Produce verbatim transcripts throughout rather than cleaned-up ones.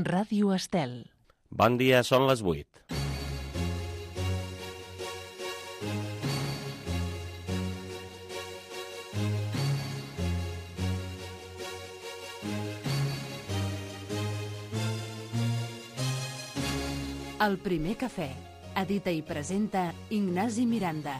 Ràdio Estel. Bon dia, són les vuit. El primer cafè. Edita i presenta Ignasi Miranda.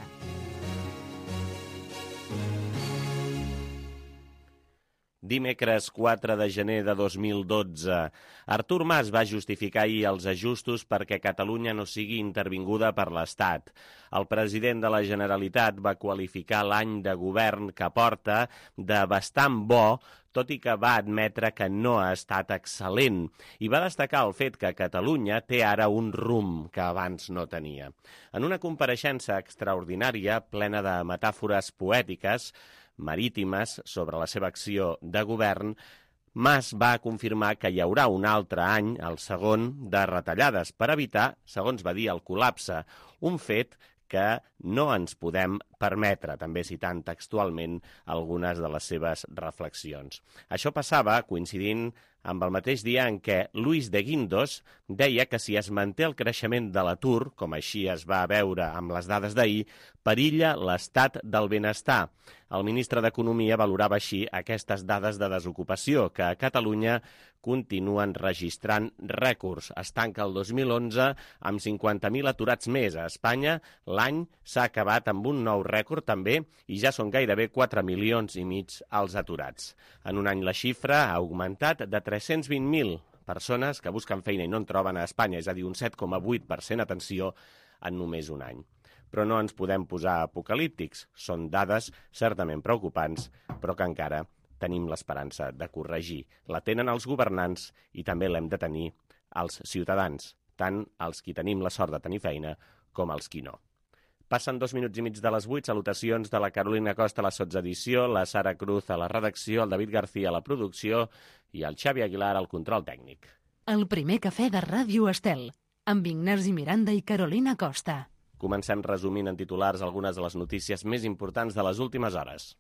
Dimecres quatre de gener de dos mil dotze. Artur Mas va justificar ahir els ajustos perquè Catalunya no sigui intervinguda per l'Estat. El president de la Generalitat va qualificar l'any de govern que porta de bastant bo, tot i que va admetre que no ha estat excel·lent, i va destacar el fet que Catalunya té ara un rumb que abans no tenia. En una compareixença extraordinària, plena de metàfores poètiques, marítimes, sobre la seva acció de govern, Mas va confirmar que hi haurà un altre any, el segon, de retallades per evitar, segons va dir, el col·lapse, un fet que no ens podem permetre, també citant textualment algunes de les seves reflexions. Això passava coincidint amb el mateix dia en què Luis de Guindos deia que si es manté el creixement de l'atur, com així es va veure amb les dades d'ahir, perilla l'estat del benestar. El ministre d'Economia valorava així aquestes dades de desocupació, que a Catalunya continuen registrant rècords. Es tanca el dos mil onze amb cinquanta mil aturats més. A Espanya l'any s'ha acabat amb un nou rècord també i ja són gairebé quatre milions i mig els aturats. En un any la xifra ha augmentat de tres-cents vint mil persones que busquen feina i no en troben a Espanya, és a dir, un set coma vuit per cent, atenció, en només un any. Però no ens podem posar apocalíptics. Són dades certament preocupants, però que encara tenim l'esperança de corregir. La tenen els governants i també l'hem de tenir els ciutadans, tant els qui tenim la sort de tenir feina com els qui no. Passen dos minuts i mig de les vuit. Salutacions de la Carolina Costa a la sotsedició, la Sara Cruz a la redacció, el David García a la producció i el Xavi Aguilar al control tècnic. El primer cafè de Ràdio Estel, amb Ignasi Miranda i Carolina Costa. Comencem resumint en titulars algunes de les notícies més importants de les últimes hores.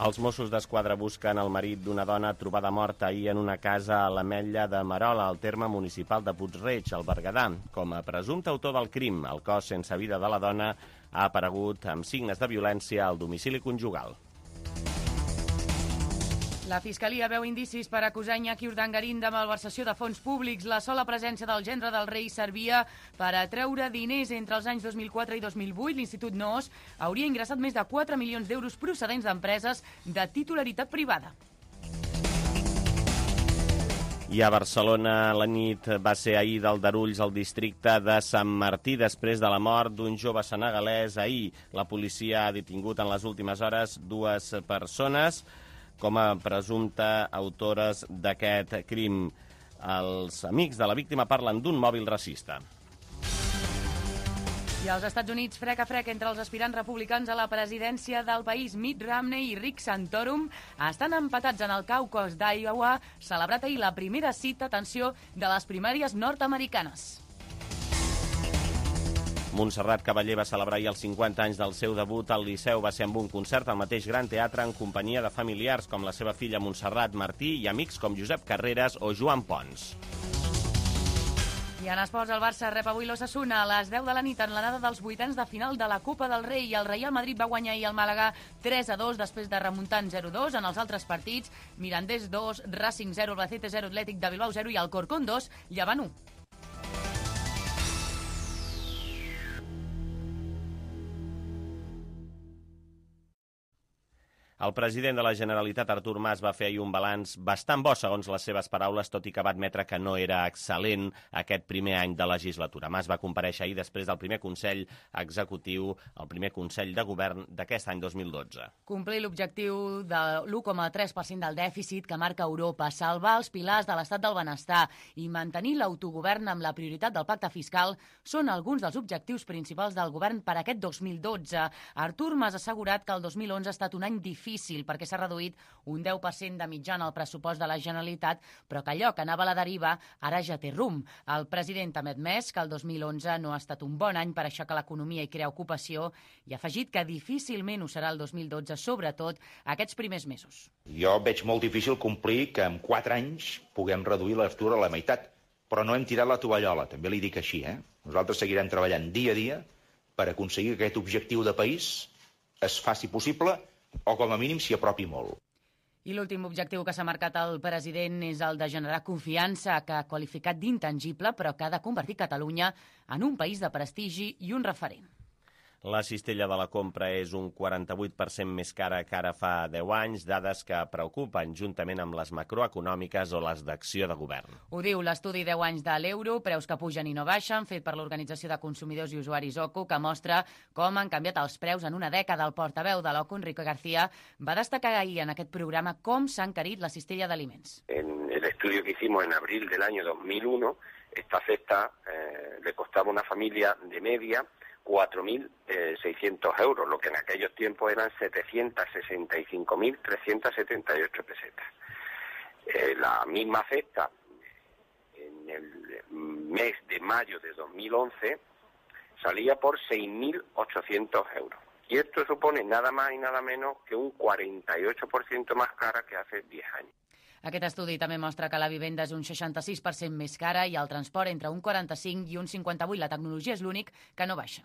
Els Mossos d'Esquadra busquen el marit d'una dona trobada morta ahir en una casa a l'Ametlla de Merola, al terme municipal de Puig-reig, al Berguedà. Com a presumpte autor del crim, el cos sense vida de la dona ha aparegut amb signes de violència al domicili conjugal. La Fiscalia veu indicis per acusar Iñaki Urdangarín de malversació de fons públics. La sola presència del gendre del rei servia per atreure diners entre els anys dos mil quatre i dos mil vuit. L'Institut Noos hauria ingressat més de quatre milions d'euros procedents d'empreses de titularitat privada. I a Barcelona la nit va ser ahir d'Aldarulls al districte de Sant Martí després de la mort d'un jove senegalès. Ahir la policia ha detingut en les últimes hores dues persones com a presumpte autores d'aquest crim. Els amics de la víctima parlen d'un mòbil racista. I als Estats Units, frec a frec entre els aspirants republicans a la presidència del país, Mitt Romney i Rick Santorum, estan empatats en el caucus d'Iowa, celebrat ahir la primera cita, atenció, de les primàries nord-americanes. Montserrat Cavaller va celebrar ahir els cinquanta anys del seu debut al Liceu. Va ser amb un concert al mateix Gran Teatre en companyia de familiars com la seva filla Montserrat Martí i amics com Josep Carreras o Joan Pons. I en esports, el Barça rep avui l'Osasuna a les deu de la nit en l'anada dels vuitens de final de la Copa del Rei. I el Real Madrid va guanyar ahir el Màlaga tres a dos després de remuntar en zero a dos. En els altres partits, Mirandés dos, Racing zero, Albacete zero, Atlètic de Bilbao zero i Alcorcón dos, Llevant u. El president de la Generalitat, Artur Mas, va fer ahir un balanç bastant bo, segons les seves paraules, tot i que va admetre que no era excel·lent aquest primer any de legislatura. Mas va comparèixer ahir després del primer Consell Executiu, el primer Consell de Govern d'aquest any dos mil dotze. Complir l'objectiu de l'u coma tres per cent del dèficit que marca Europa, salvar els pilars de l'estat del benestar i mantenir l'autogovern amb la prioritat del pacte fiscal són alguns dels objectius principals del govern per aquest dos mil dotze. Artur Mas ha assegurat que el dos mil onze ha estat un any difícil difícil perquè s'ha reduït un deu per cent de mitjana al pressupost de la Generalitat, però que allò que anava a la deriva ara ja té rumb. El president també ha admès que el dos mil onze no ha estat un bon any per aixecar l'economia i crear ocupació i ha afegit que difícilment ho serà el dos mil dotze, sobretot aquests primers mesos. Jo veig molt difícil complir que en quatre anys puguem reduir l'atur a la meitat, però no hem tirat la tovallola, també li dic així. Eh? Nosaltres seguirem treballant dia a dia per aconseguir que aquest objectiu de país es faci possible o com a mínim s'hi apropi molt. I l'últim objectiu que s'ha marcat el president és el de generar confiança, que ha qualificat d'intangible, però que ha de convertir Catalunya en un país de prestigi i un referent. La cistella de la compra és un quaranta-vuit per cent més cara que ara fa deu anys, dades que preocupen juntament amb les macroeconòmiques o les d'acció de govern. Ho diu l'estudi deu anys de l'euro, preus que pugen i no baixen, fet per l'Organització de Consumidors i Usuaris O C U, que mostra com han canviat els preus en una dècada. El portaveu de l'O C U, Enrique García, va destacar ahir en aquest programa com s'ha encarit la cistella d'aliments. En el estudio que hicimos en abril del año dos mil uno, esta cesta eh, le costaba a una familia de media cuatro mil seiscientos euros, lo que en aquellos tiempos eran setecientos sesenta y cinco mil trescientos setenta y ocho pesetas. Eh, la misma cesta en el mes de mayo de dos mil once salía por seis mil ochocientos euros. Y esto supone nada más y nada menos que un cuarenta y ocho por ciento más cara que hace diez años. Aquest estudi també mostra que la vivenda és un seixanta-sis per cent més cara i el transport entre un quaranta-cinc i un cinquanta-vuit. La tecnologia és l'únic que no baixa.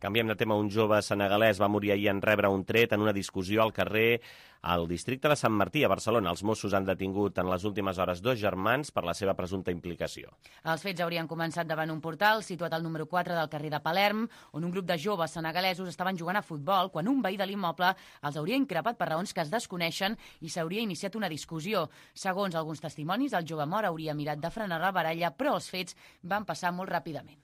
Canviem de tema. Un jove senegalès va morir ahir en rebre un tret en una discussió al carrer al districte de Sant Martí, a Barcelona. Els Mossos han detingut en les últimes hores dos germans per la seva presumpta implicació. Els fets haurien començat davant un portal situat al número quatre del carrer de Palerm, on un grup de joves senegalesos estaven jugant a futbol quan un veí de l'immoble els hauria increpat per raons que es desconeixen i s'hauria iniciat una discussió. Segons alguns testimonis, el jove mort hauria mirat de frenar la baralla, però els fets van passar molt ràpidament.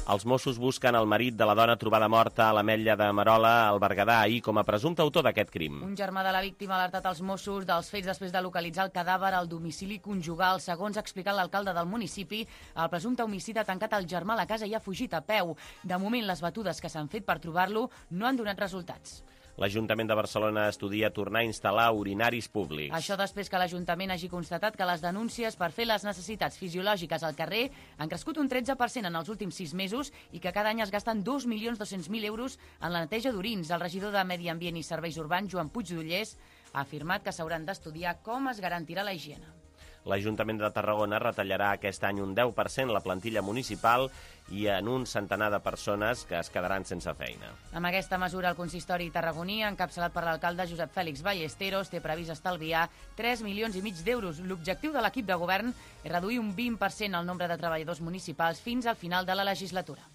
Els Mossos busquen el marit de la dona trobada morta a l'Ametlla de Merola, al Berguedà, ahir com a presumpte autor d'aquest crim. Un germà de la víctima ha alertat els Mossos dels fets després de localitzar el cadàver al domicili conjugal. Segons ha explicat l'alcalde del municipi, el presumpte homicida ha tancat el germà a la casa i ha fugit a peu. De moment, les batudes que s'han fet per trobar-lo no han donat resultats. L'Ajuntament de Barcelona estudia tornar a instal·lar urinaris públics. Això després que l'Ajuntament hagi constatat que les denúncies per fer les necessitats fisiològiques al carrer han crescut un tretze per cent en els últims sis mesos i que cada any es gasten dos milions dos-cents mil euros en la neteja d'orins. El regidor de Medi Ambient i Serveis Urbans, Joan Puigdollers, ha afirmat que s'hauran d'estudiar com es garantirà la higiene. L'Ajuntament de Tarragona retallarà aquest any un deu per cent la plantilla municipal i en un centenar de persones que es quedaran sense feina. Amb aquesta mesura, el consistori tarragoní, encapçalat per l'alcalde Josep Fèlix Ballesteros, té previst estalviar tres milions i mig d'euros. L'objectiu de l'equip de govern és reduir un vint per cent el nombre de treballadors municipals fins al final de la legislatura.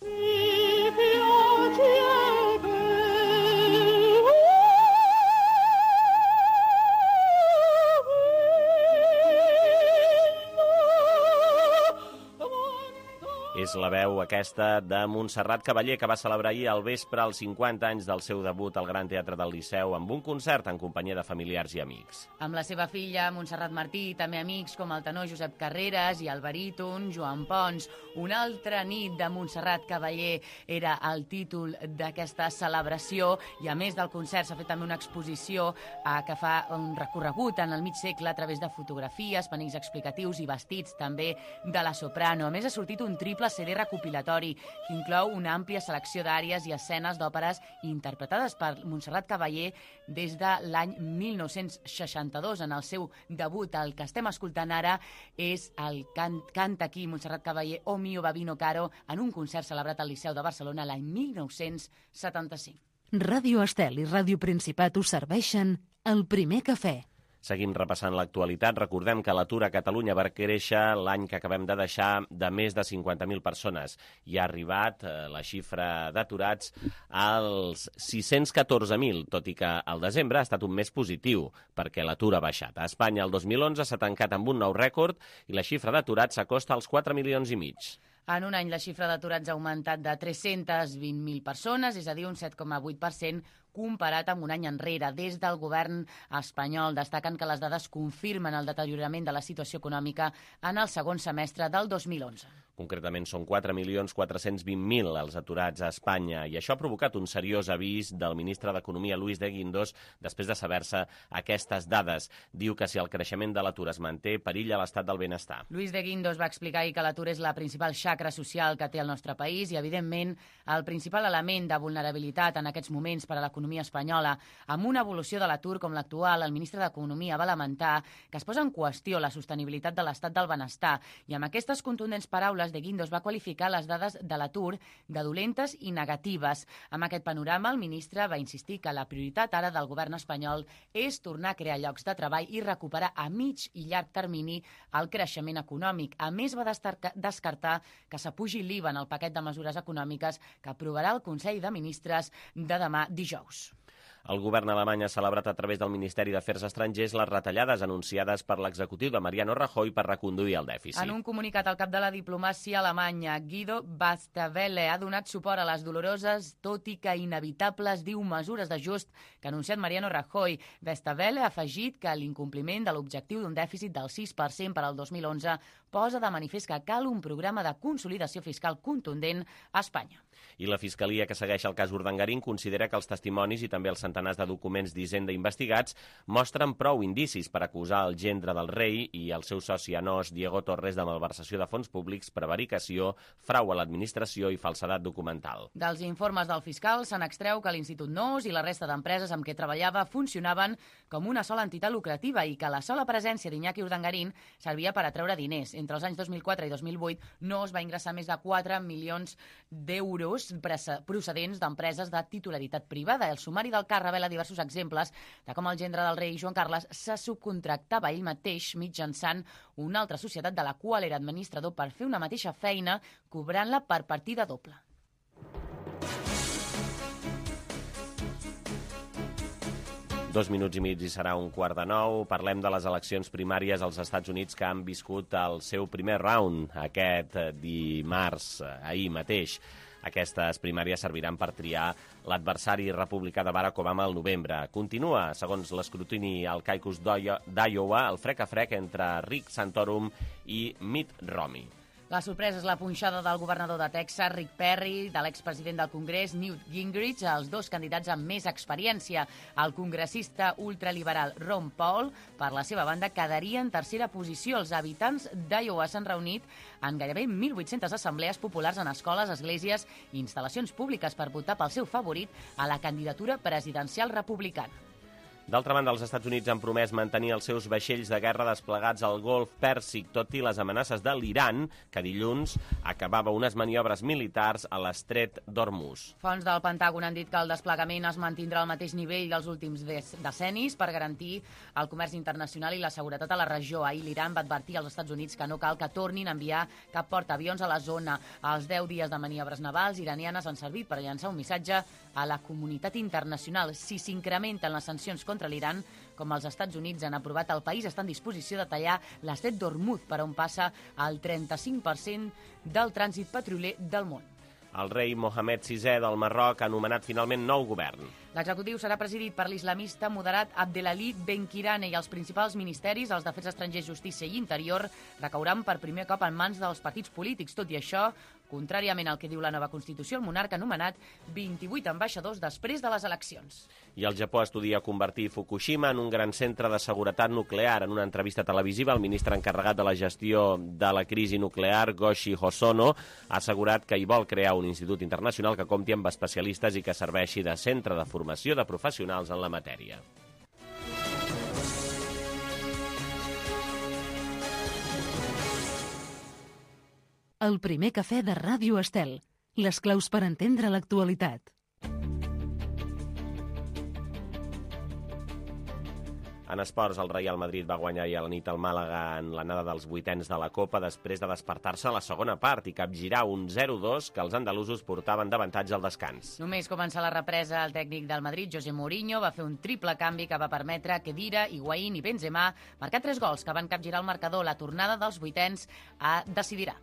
És la veu aquesta de Montserrat Cavaller, que va celebrar ahir al vespre els cinquanta anys del seu debut al Gran Teatre del Liceu amb un concert en companyia de familiars i amics. Amb la seva filla, Montserrat Martí, i també amics com el tenor Josep Carreras i el baríton Joan Pons. Una altra nit de Montserrat Cavaller era el títol d'aquesta celebració i a més del concert s'ha fet també una exposició eh, que fa un recorregut en el mig segle a través de fotografies, panells explicatius i vestits també de la soprano. A més, ha sortit un triple C D recopilatori que inclou una àmplia selecció d'àries i escenes d'òperes interpretades per Montserrat Cavaller des de l'any mil nou-cents seixanta-dos. En el seu debut, el que estem escoltant ara és el can Canta aquí Montserrat Cavaller o Mio Babino Caro en un concert celebrat al Liceu de Barcelona l'any mil nou-cents setanta-cinc. Ràdio Estel i Ràdio Principat us serveixen el primer cafè. Seguim repassant l'actualitat. Recordem que l'atur a Catalunya va créixer l'any que acabem de deixar de més de cinquanta mil persones i ha arribat eh, la xifra d'aturats als sis-cents catorze mil, tot i que el desembre ha estat un mes positiu perquè l'atur ha baixat. A Espanya el dos mil onze s'ha tancat amb un nou rècord i la xifra d'aturats s'acosta als quatre milions i mig. En un any la xifra d'aturats ha augmentat de tres-cents vint mil persones, és a dir, un set coma vuit per cent, comparat amb un any enrere. Des del govern espanyol destaquen que les dades confirmen el deteriorament de la situació econòmica en el segon semestre del dos mil onze. Concretament són quatre milions quatre-cents vint mil els aturats a Espanya i això ha provocat un seriós avís del ministre d'Economia, Luis de Guindos, després de saber-se aquestes dades. Diu que si el creixement de l'atur es manté, perilla l'estat del benestar. Luis de Guindos va explicar ahir que l'atur és la principal xacra social que té el nostre país i, evidentment, el principal element de vulnerabilitat en aquests moments per a l'economia espanyola. Amb una evolució de l'atur com l'actual, el ministre d'Economia va lamentar que es posa en qüestió la sostenibilitat de l'estat del benestar i amb aquestes contundents paraules de Guindos va qualificar les dades de l'atur de dolentes i negatives. Amb aquest panorama, el ministre va insistir que la prioritat ara del govern espanyol és tornar a crear llocs de treball i recuperar a mig i llarg termini el creixement econòmic. A més, va descartar que s'apugi l'I V A en el paquet de mesures econòmiques que aprovarà el Consell de Ministres de demà dijous. El govern alemany ha celebrat a través del Ministeri d'Afers Estrangers les retallades anunciades per l'executiu de Mariano Rajoy per reconduir el dèficit. En un comunicat, el cap de la diplomàcia alemanya, Guido Westerwelle, ha donat suport a les doloroses, tot i que inevitables, diu, mesures d'ajust que ha anunciat Mariano Rajoy. Westerwelle ha afegit que l'incompliment de l'objectiu d'un dèficit del sis per cent per al dos mil onze posa de manifest que cal un programa de consolidació fiscal contundent a Espanya. I la Fiscalia, que segueix el cas Urdangarín, considera que els testimonis i també els centenars de documents d'Hisenda investigats mostren prou indicis per acusar el gendre del rei i el seu soci anós, Diego Torres, de malversació de fons públics, prevaricació, frau a l'administració i falsedat documental. Dels informes del fiscal se n'extreu que l'Institut Nos i la resta d'empreses amb què treballava funcionaven com una sola entitat lucrativa i que la sola presència d'Iñaki Urdangarín servia per atreure diners. Entre els anys dos mil quatre i dos mil vuit, Nos va ingressar més de quatre milions d'euros procedents d'empreses de titularitat privada. El sumari del cas revela diversos exemples de com el gendre del rei Joan Carles se subcontractava ell mateix mitjançant una altra societat de la qual era administrador per fer una mateixa feina, cobrant-la per partida doble. Dos minuts i mig i serà un quart de nou. Parlem de les eleccions primàries als Estats Units que han viscut el seu primer round aquest dimarts, ahir mateix. Aquestes primàries serviran per triar l'adversari republicà de Barack Obama al novembre. Continua, segons l'escrutini al caucus d'Iowa, el frec a frec entre Rick Santorum i Mitt Romney. La sorpresa és la punxada del governador de Texas, Rick Perry, de l'expresident del Congrés, Newt Gingrich, els dos candidats amb més experiència. El congressista ultraliberal Ron Paul, per la seva banda, quedaria en tercera posició. Els habitants d'Iowa s'han reunit en gairebé mil vuit-centes assemblees populars en escoles, esglésies i instal·lacions públiques per votar pel seu favorit a la candidatura presidencial republicana. D'altra banda, els Estats Units han promès mantenir els seus vaixells de guerra desplegats al Golf Pèrsic, tot i les amenaces de l'Iran, que dilluns acabava unes maniobres militars a l'estret d'Hormuz. Fonts del Pentàgon han dit que el desplegament es mantindrà al mateix nivell dels últims decennis per garantir el comerç internacional i la seguretat a la regió. Ahir l'Iran va advertir als Estats Units que no cal que tornin a enviar cap portaavions a la zona. Els deu dies de maniobres navals iranianes han servit per llançar un missatge a la comunitat internacional. Si s'incrementen les sancions contra l'Iran, com els Estats Units han aprovat, el país està en disposició de tallar l'estret d'Hormuz, per on passa el trenta-cinc per cent del trànsit petrolier del món. El rei Mohamed sisè del Marroc ha nomenat finalment nou govern. L'executiu serà presidit per l'islamista moderat Abdelali Benkirane i els principals ministeris, els d'Afers Estrangers, Justícia i Interior, recauran per primer cop en mans dels partits polítics. Tot i això, contràriament al que diu la nova Constitució, el monarca ha nomenat vint-i-vuit ambaixadors després de les eleccions. I el Japó estudia convertir Fukushima en un gran centre de seguretat nuclear. En una entrevista televisiva, el ministre encarregat de la gestió de la crisi nuclear, Goshi Hosono, ha assegurat que hi vol crear un institut internacional que compti amb especialistes i que serveixi de centre de formació de professionals en la matèria. El primer cafè de Ràdio Estel. Les claus per entendre l'actualitat. En esports, el Real Madrid va guanyar ahir a la nit al Màlaga en l'anada dels vuitens de la Copa després de despertar-se a la segona part i capgirar un zero dos que els andalusos portaven d'avantatge al descans. Només començar la represa, el tècnic del Madrid, José Mourinho, va fer un triple canvi que va permetre que Khedira, Higuaín i Benzema marcar tres gols que van capgirar el marcador. La tornada dels vuitens a decidirà.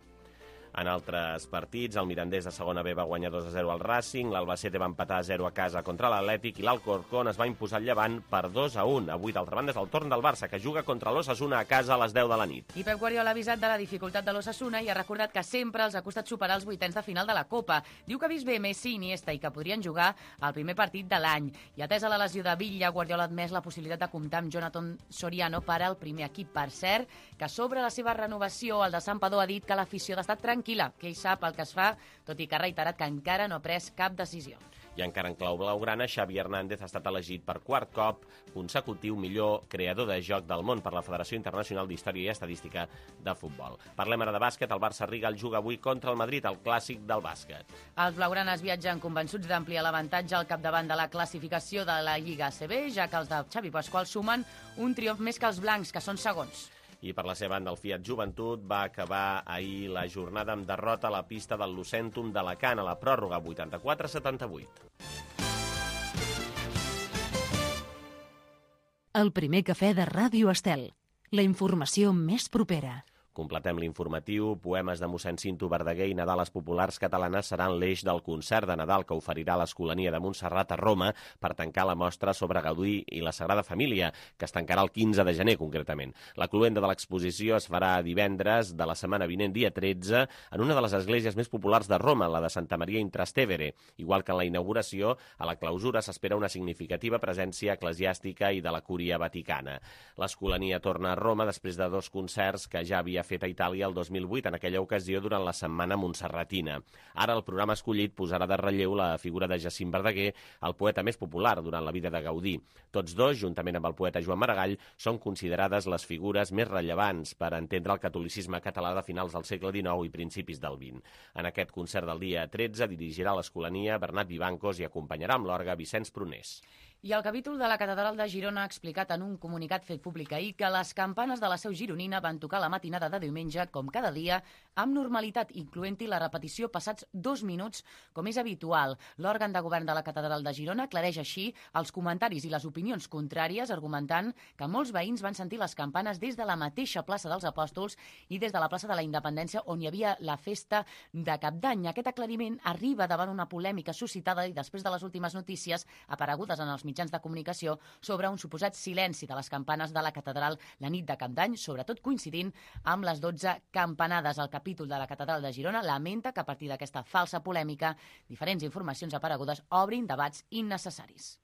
En altres partits, el Mirandés de segona B va guanyar dos a zero al Racing, l'Albacete va empatar a zero a casa contra l'Atlètic i l'Alcorcón es va imposar al Llevant per dos a un. Avui, d'altra banda, és el torn del Barça, que juga contra l'Osasuna a casa a les deu de la nit. I Pep Guardiola ha avisat de la dificultat de l'Osasuna i ha recordat que sempre els ha costat superar els vuitens de final de la Copa. Diu que ha vist bé Messi i Iniesta i que podrien jugar al primer partit de l'any. I atesa la lesió de Villa, Guardiola ha admès la possibilitat de comptar amb Jonathan Soriano per al primer equip. Per cert, que sobre la seva renovació, el de Santpedor ha dit que l'afició ha d'estar tranquil·la, que ell sap el que es fa, tot i que ha reiterat que encara no ha pres cap decisió. I encara en clau blaugrana, Xavi Hernández ha estat elegit per quart cop consecutiu millor creador de joc del món per la Federació Internacional d'Història i Estadística de Futbol. Parlem ara de bàsquet. El Barça Rigal juga avui contra el Madrid, el clàssic del bàsquet. Els blaugranes viatgen convençuts d'ampliar l'avantatge al capdavant de la classificació de la Lliga A C B, ja que els de Xavi Pasqual sumen un triomf més que els blancs, que són segons. I per la seva banda, el Fiat Joventut va acabar ahir la jornada amb derrota a la pista del Lucentum d'Alacant a la pròrroga vuitanta-quatre a setanta-vuit. El primer cafè de Ràdio Estel. La informació més propera. Completem l'informatiu. Poemes de mossèn Cinto Verdaguer i Nadales populars catalanes seran l'eix del concert de Nadal que oferirà l'Escolania de Montserrat a Roma per tancar la mostra sobre Gaudí i la Sagrada Família, que es tancarà el quinze de gener, concretament. La cloenda de l'exposició es farà divendres de la setmana vinent, dia tretze, en una de les esglésies més populars de Roma, la de Santa Maria in Trastevere. Igual que en la inauguració, a la clausura s'espera una significativa presència eclesiàstica i de la Cúria Vaticana. L'Escolania torna a Roma després de dos concerts que ja havia fet a Itàlia el dos mil vuit, en aquella ocasió durant la Setmana Montserratina. Ara el programa escollit posarà de relleu la figura de Jacint Verdaguer, el poeta més popular durant la vida de Gaudí. Tots dos, juntament amb el poeta Joan Maragall, són considerades les figures més rellevants per entendre el catolicisme català de finals del segle dinou i principis del vint. En aquest concert del dia tretze dirigirà l'Escolania Bernat Vivancos i acompanyarà amb l'orgue Vicenç Prunés. I el capítol de la Catedral de Girona ha explicat en un comunicat fet públic ahir que les campanes de la seu gironina van tocar la matinada de diumenge, com cada dia, amb normalitat, incloent-hi la repetició passats dos minuts, com és habitual. L'òrgan de govern de la Catedral de Girona aclareix així els comentaris i les opinions contràries, argumentant que molts veïns van sentir les campanes des de la mateixa plaça dels Apòstols i des de la plaça de la Independència, on hi havia la festa de Cap d'Any. Aquest aclariment arriba davant una polèmica suscitada i després de les últimes notícies aparegudes en els mitjans de comunicació sobre un suposat silenci de les campanes de la catedral la nit de Cap d'Any, sobretot coincidint amb les dotze campanades. El capítol de la Catedral de Girona lamenta que a partir d'aquesta falsa polèmica diferents informacions aparegudes obrin debats innecessaris.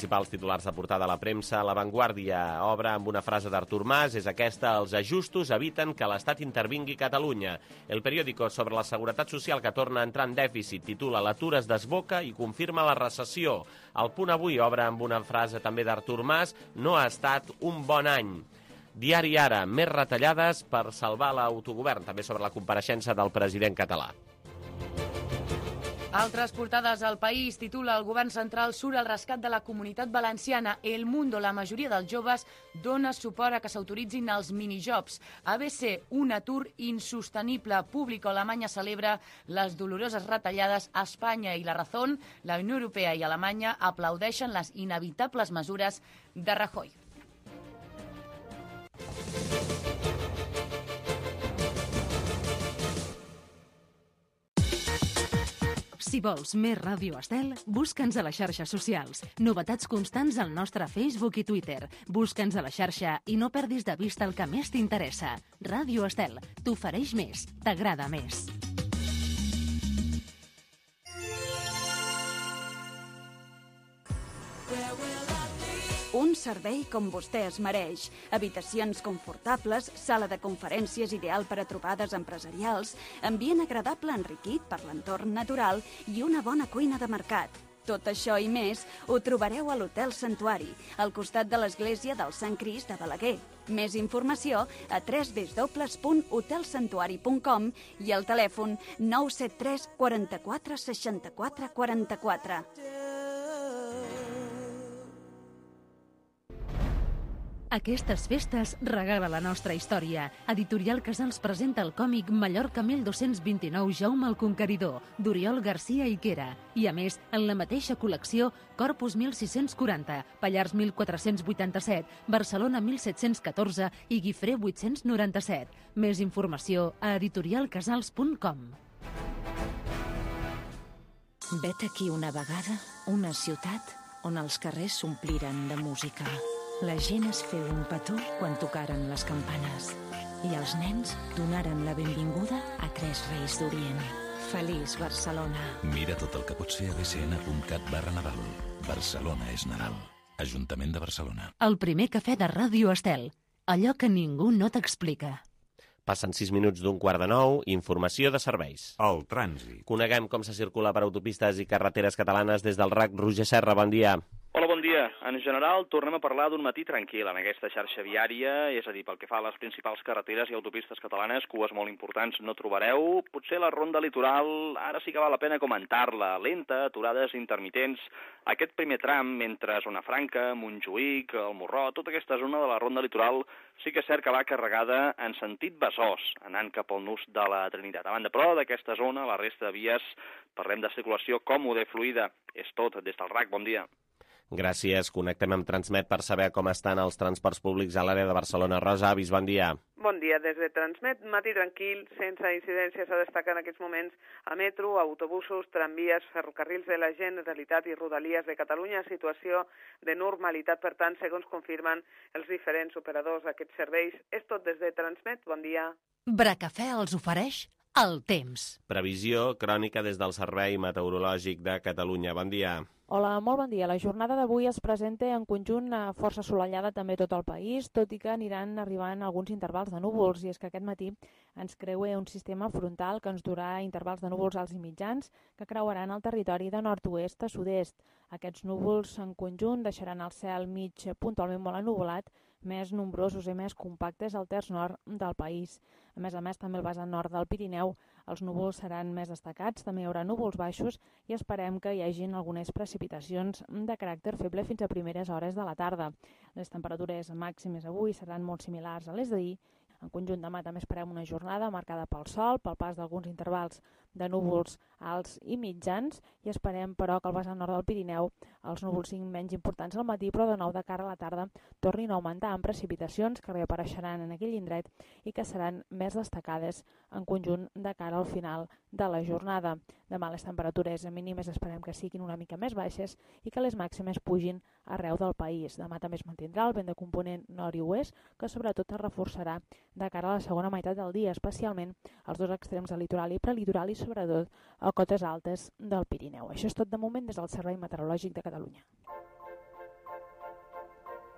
Principals titulars de portada a la premsa. La Vanguardia obre amb una frase d'Artur Mas, és aquesta: els ajustos eviten que l'Estat intervingui Catalunya. El periòdico sobre la Seguretat Social, que torna a entrar en dèficit, titula l'atur es desboca i confirma la recessió. El Punt Avui obre amb una frase també d'Artur Mas: no ha estat un bon any. Diari Ara, més retallades per salvar l'autogovern, també sobre la compareixença del president català. Altres portades al País titula el govern central surt al rescat de la Comunitat Valenciana. El Mundo, la majoria dels joves dona suport a que s'autoritzin els minijobs. A B C, un atur insostenible. Público, Alemanya celebra les doloroses retallades. A Espanya i la Razón, la Unió Europea i Alemanya aplaudeixen les inevitables mesures de Rajoy. Si vols més Ràdio Estel, busca'ns a les xarxes socials. Novetats constants al nostre Facebook i Twitter. Busca'ns a la xarxa i no perdis de vista el que més t'interessa. Ràdio Estel, t'ofereix més, t'agrada més. Un servei com vostè es mereix. Habitacions confortables, sala de conferències ideal per a trobades empresarials, ambient agradable enriquit per l'entorn natural i una bona cuina de mercat. Tot això i més ho trobareu a l'Hotel Santuari, al costat de l'església del Sant Crist de Balaguer. Més informació a w w w punt hotel santuari punt com i al telèfon nou set tres quaranta-quatre seixanta-quatre quaranta-quatre. Aquestes festes regala la nostra història. Editorial Casals presenta el còmic Mallorca mil dos-cents vint-i-nou Jaume el Conqueridor, d'Oriol Garcia i Quera. I a més, en la mateixa col·lecció, Corpus mil sis-cents quaranta, Pallars mil quatre-cents vuitanta-set, Barcelona mil set-cents catorze i Guifré vuit-cents noranta-set. Més informació a editorial casals punt com. Vet aquí una vegada una ciutat on els carrers s'ompliren de música. La gent es feu un petó quan tocaren les campanes i els nens donaren la benvinguda a tres reis d'Orient. Feliç Barcelona. Mira tot el que pot ser a b c n punt cat barra Nadal. Barcelona és Nadal. Ajuntament de Barcelona. El primer cafè de Ràdio Estel. Allò que ningú no t'explica. Passen sis minuts d'un quart de nou, informació de serveis. El trànsit. Coneguem com se circula per autopistes i carreteres catalanes des del R A C. Roger Serra, bon dia. Hola, bon dia. En general, tornem a parlar d'un matí tranquil en aquesta xarxa viària, és a dir, pel que fa a les principals carreteres i autopistes catalanes, cues molt importants no trobareu. Potser la ronda litoral, ara sí que val la pena comentar-la, lenta, aturades intermitents. Aquest primer tram, entre Zona Franca, Montjuïc, el Morró, tota aquesta zona de la ronda litoral, sí que és cert que va carregada en sentit Besòs, anant cap al nus de la Trinitat. A banda, però, d'aquesta zona, la resta de vies, parlem de circulació còmoda i fluida. És tot des del R A C. Bon dia. Gràcies. Connectem amb Transmet per saber com estan els transports públics a l'àrea de Barcelona. Rosa Avis, bon dia. Bon dia. Des de Transmet, matí tranquil, sense incidències a destacar en aquests moments a metro, autobusos, tramvies, ferrocarrils de la Generalitat i Rodalies de Catalunya. Situació de normalitat, per tant, segons confirmen els diferents operadors d'aquests serveis. És tot des de Transmet. Bon dia. Bracafè els ofereix el temps. Previsió crònica des del Servei Meteorològic de Catalunya. Bon dia. Hola, molt bon dia. La jornada d'avui es presenta en conjunt força assolellada també tot el país, tot i que aniran arribant alguns intervals de núvols, i és que aquest matí ens creua un sistema frontal que ens durà intervals de núvols alts i mitjans que creuaran el territori de nord-oest a sud-est. Aquests núvols en conjunt deixaran el cel mig puntualment molt ennuvolat, més nombrosos i més compactes al terç nord del país. A més a més, també al vessant nord del Pirineu els núvols seran més destacats, també hi haurà núvols baixos i esperem que hi hagin algunes precipitacions de caràcter feble fins a primeres hores de la tarda. Les temperatures màximes avui seran molt similars a les d'ahir. En conjunt demà també esperem una jornada marcada pel sol, pel pas d'alguns intervals de núvols alts i mitjans, i esperem, però, que al vessant nord del Pirineu els núvols siguin menys importants al matí, però de nou de cara a la tarda tornin a augmentar amb precipitacions que reapareixeran en aquell indret i que seran més destacades en conjunt de cara al final de la jornada. Demà les temperatures mínimes esperem que siguin una mica més baixes i que les màximes pugin arreu del país. Demà també es mantindrà el vent de component nord i oest, que sobretot es reforçarà de cara a la segona meitat del dia, especialment als dos extrems del litoral i prelitoral i sobretot a cotes altes del Pirineu. Això és tot de moment des del Servei Meteorològic de Catalunya.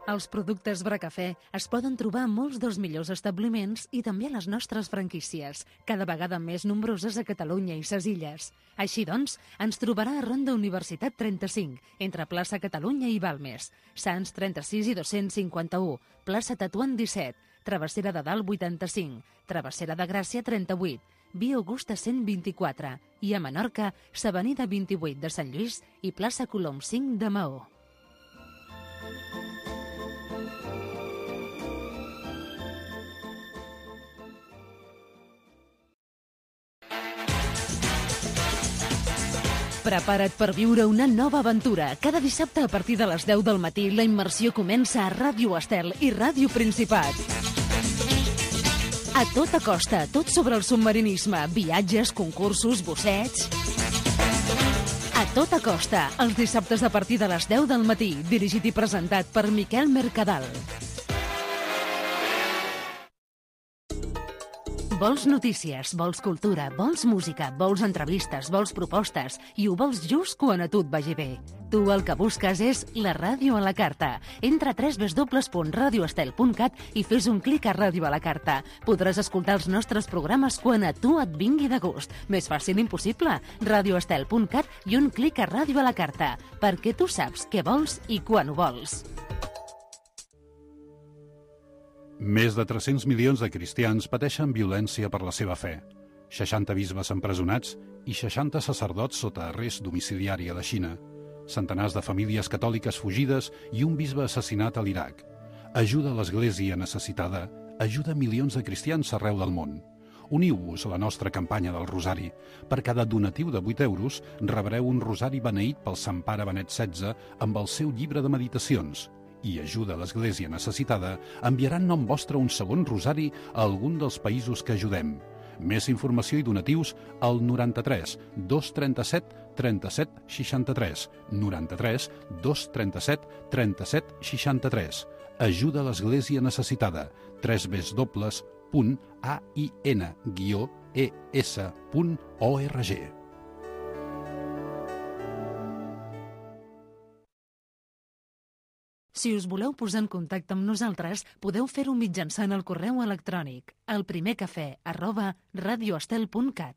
Els productes Bracafè es poden trobar a molts dels millors establiments i també a les nostres franquícies, cada vegada més nombroses a Catalunya i ses Illes. Així doncs, ens trobarà a Ronda Universitat trenta-cinc, entre plaça Catalunya i Balmes, Sants trenta-sis i dos-cents cinquanta-u, plaça Tetuan disset, Travessera de Dalt vuitanta-cinc, Travessera de Gràcia trenta-vuit, Via Augusta cent vint-i-quatre i a Menorca, s'Avenida vint-i-vuit de Sant Lluís i plaça Colom cinc de Maó. Prepara't per viure una nova aventura. Cada dissabte a partir de les deu del matí la immersió comença a Ràdio Estel i Ràdio Principat. A tota costa, tot sobre el submarinisme, viatges, concursos, bossets... A tota costa, els dissabtes a partir de les deu del matí, dirigit i presentat per Miquel Mercadal. Vols notícies, vols cultura, vols música, vols entrevistes, vols propostes i ho vols just quan a tu et vagi bé. Tu el que busques és la ràdio a la carta. Entra a w w w punt radio estel punt cat i fes un clic a Ràdio a la carta. Podràs escoltar els nostres programes quan a tu et vingui de gust. Més fàcil impossible. radio estel punt cat i un clic a Ràdio a la carta. Perquè tu saps què vols i quan ho vols. Més de tres-cents milions de cristians pateixen violència per la seva fe. seixanta bisbes empresonats i seixanta sacerdots sota arrest domiciliari a la Xina. Centenars de famílies catòliques fugides i un bisbe assassinat a l'Iraq. Ajuda a l'Església necessitada, ajuda milions de cristians arreu del món. Uniu-vos a la nostra campanya del Rosari. Per cada donatiu de vuit euros rebreu un rosari beneït pel Sant Pare Benet setze amb el seu llibre de meditacions. I Ajuda a l'Església necessitada enviarà en nom vostre un segon rosari a algun dels països que ajudem. Més informació i donatius al noranta-tres dos trenta-set trenta-set seixanta-tres, noranta-tres dos trenta-set trenta-set seixanta-tres. Ajuda a l'Església necessitada, tres w w w punt a i ena guió e essa punt org. Si us voleu posar en contacte amb nosaltres, podeu fer-ho mitjançant el correu electrònic elprimercafè arroba radioestel punt cat.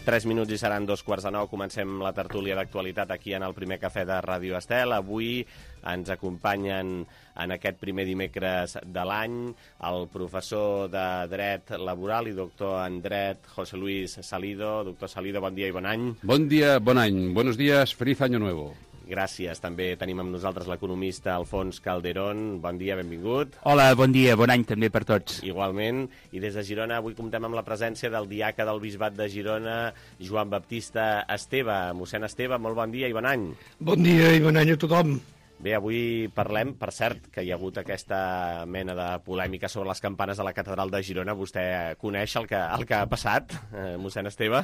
Tres minuts i seran dos quarts de nou. Comencem la tertúlia d'actualitat aquí en el primer cafè de Ràdio Estel. Avui ens acompanyen en aquest primer dimecres de l'any el professor de Dret Laboral i doctor en Dret, José Luis Salido. Doctor Salido, bon dia i bon any. Bon dia, bon any. Buenos días, feliz año nuevo. Gràcies. També tenim amb nosaltres l'economista Alfons Calderón. Bon dia, benvingut. Hola, bon dia, bon any també per tots. Igualment. I des de Girona avui comptem amb la presència del diaca del Bisbat de Girona, Joan Baptista Esteve. Mossèn Esteve, molt bon dia i bon any. Bon dia i bon any a tothom. Bé, avui parlem, per cert, que hi ha hagut aquesta mena de polèmica sobre les campanes de la catedral de Girona. Vostè coneix el que, el que ha passat, eh, mossèn Esteve?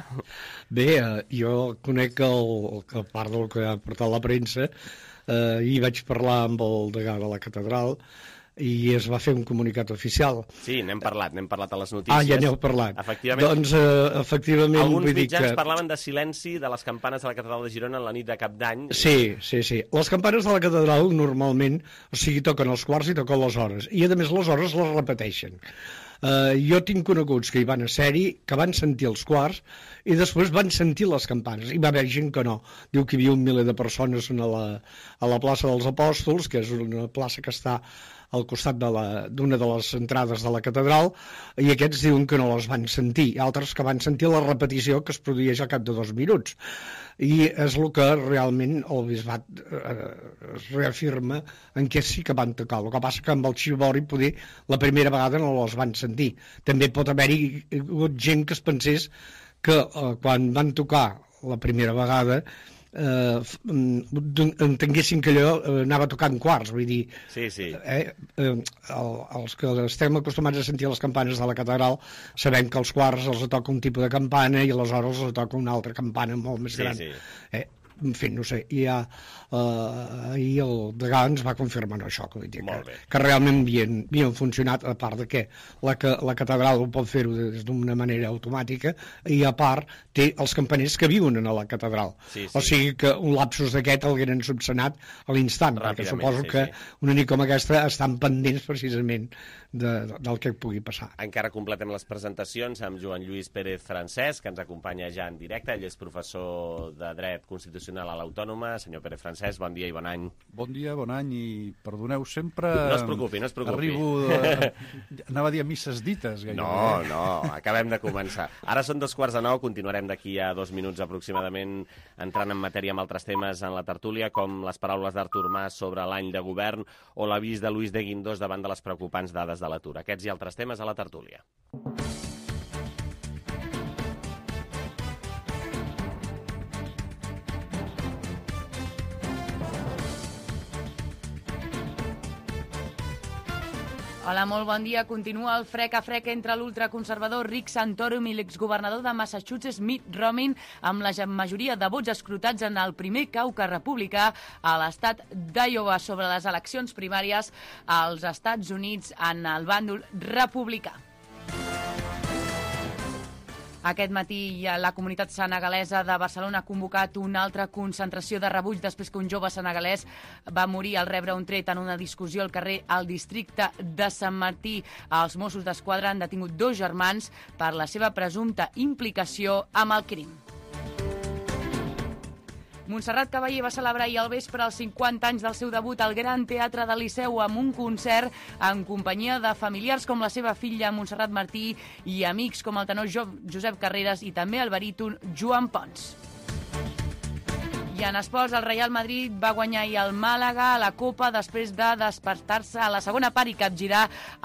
Bé, eh, jo conec el, el part del que ha portat la premsa. Eh, ahir vaig parlar amb el degà de la catedral i es va fer un comunicat oficial. Sí, n'hem parlat, n'hem parlat a les notícies. Ah, ja n'heu parlat. Efectivament. Doncs, eh, efectivament... Alguns vull dir mitjans que... parlaven de silenci de les campanes de la catedral de Girona en la nit de Cap d'Any. Sí, sí, sí. Les campanes de la catedral normalment, o sigui, toquen els quarts i toquen les hores. I, a més, les hores les repeteixen. Uh, jo tinc coneguts que hi van a ser-hi, que van sentir els quarts i després van sentir les campanes. I va haver gent que no. Diu que hi havia un miler de persones a la, a la plaça dels Apòstols, que és una plaça que està al costat d'una de, de les entrades de la catedral, i aquests diuen que no les van sentir, i altres que van sentir la repetició que es produeix al cap de dos minuts. I és el que realment el bisbat eh, es reafirma en què sí que van tocar. El que passa que amb el xivori poder la primera vegada no les van sentir. També pot haver-hi hagut gent que es pensés que eh, quan van tocar la primera vegada eh, entenguessin que allò anava tocant quarts, vull dir, sí, sí. Eh, eh, el, els que estem acostumats a sentir les campanes de la catedral sabem que els quarts els toca un tipus de campana i aleshores els toca una altra campana molt més sí, gran. Sí. Eh, en fi, no sé, i ja, uh, ahir el degà ens va confirmar això, que, dir, que, que realment havien, havien funcionat, a part de que la, que la catedral ho pot fer-ho des d'una manera automàtica, i a part té els campaners que viuen a la catedral. Sí, sí. O sigui que un lapsus d'aquest l'hagueren subsanat a l'instant, perquè suposo sí, que sí. una nit com aquesta estan pendents precisament de, de, del que pugui passar. Encara completem les presentacions amb Joan Lluís Pérez Francesc, que ens acompanya ja en directe. Ell és professor de Dret Constitucional a l'Autònoma. Senyor Pérez Francesc, bon dia i bon any. Bon dia, bon any, i perdoneu, sempre... No es preocupi, no es preocupi. Arribo, de... anava a dir a misses dites. Gairebé. No, no, acabem de començar. Ara són dos quarts de nou, continuarem d'aquí a dos minuts aproximadament entrant en matèria amb altres temes en la tertúlia, com les paraules d'Artur Mas sobre l'any de govern o l'avís de Luis de Guindos davant de les preocupants dades de l'atur. Aquests i altres temes a la tertúlia. Hola, molt bon dia. Continua el frec a frec entre l'ultraconservador Rick Santorum i l'exgovernador de Massachusetts Mitt Romney, amb la majoria de vots escrutats en el primer caucus republicà a l'estat d'Iowa sobre les eleccions primàries als Estats Units en el bàndol republicà. Aquest matí la comunitat senegalesa de Barcelona ha convocat una altra concentració de rebuig després que un jove senegalès va morir al rebre un tret en una discussió al carrer al districte de Sant Martí. Els Mossos d'Esquadra han detingut dos germans per la seva presumpta implicació amb el crim. Montserrat Caballé va celebrar ahir al vespre els cinquanta anys del seu debut al Gran Teatre del Liceu amb un concert en companyia de familiars com la seva filla Montserrat Martí i amics com el tenor Josep Carreras i també el baríton Joan Pons. I en esports, el Real Madrid va guanyar ahir el Màlaga a la Copa després de despertar-se a la segona part i capgirar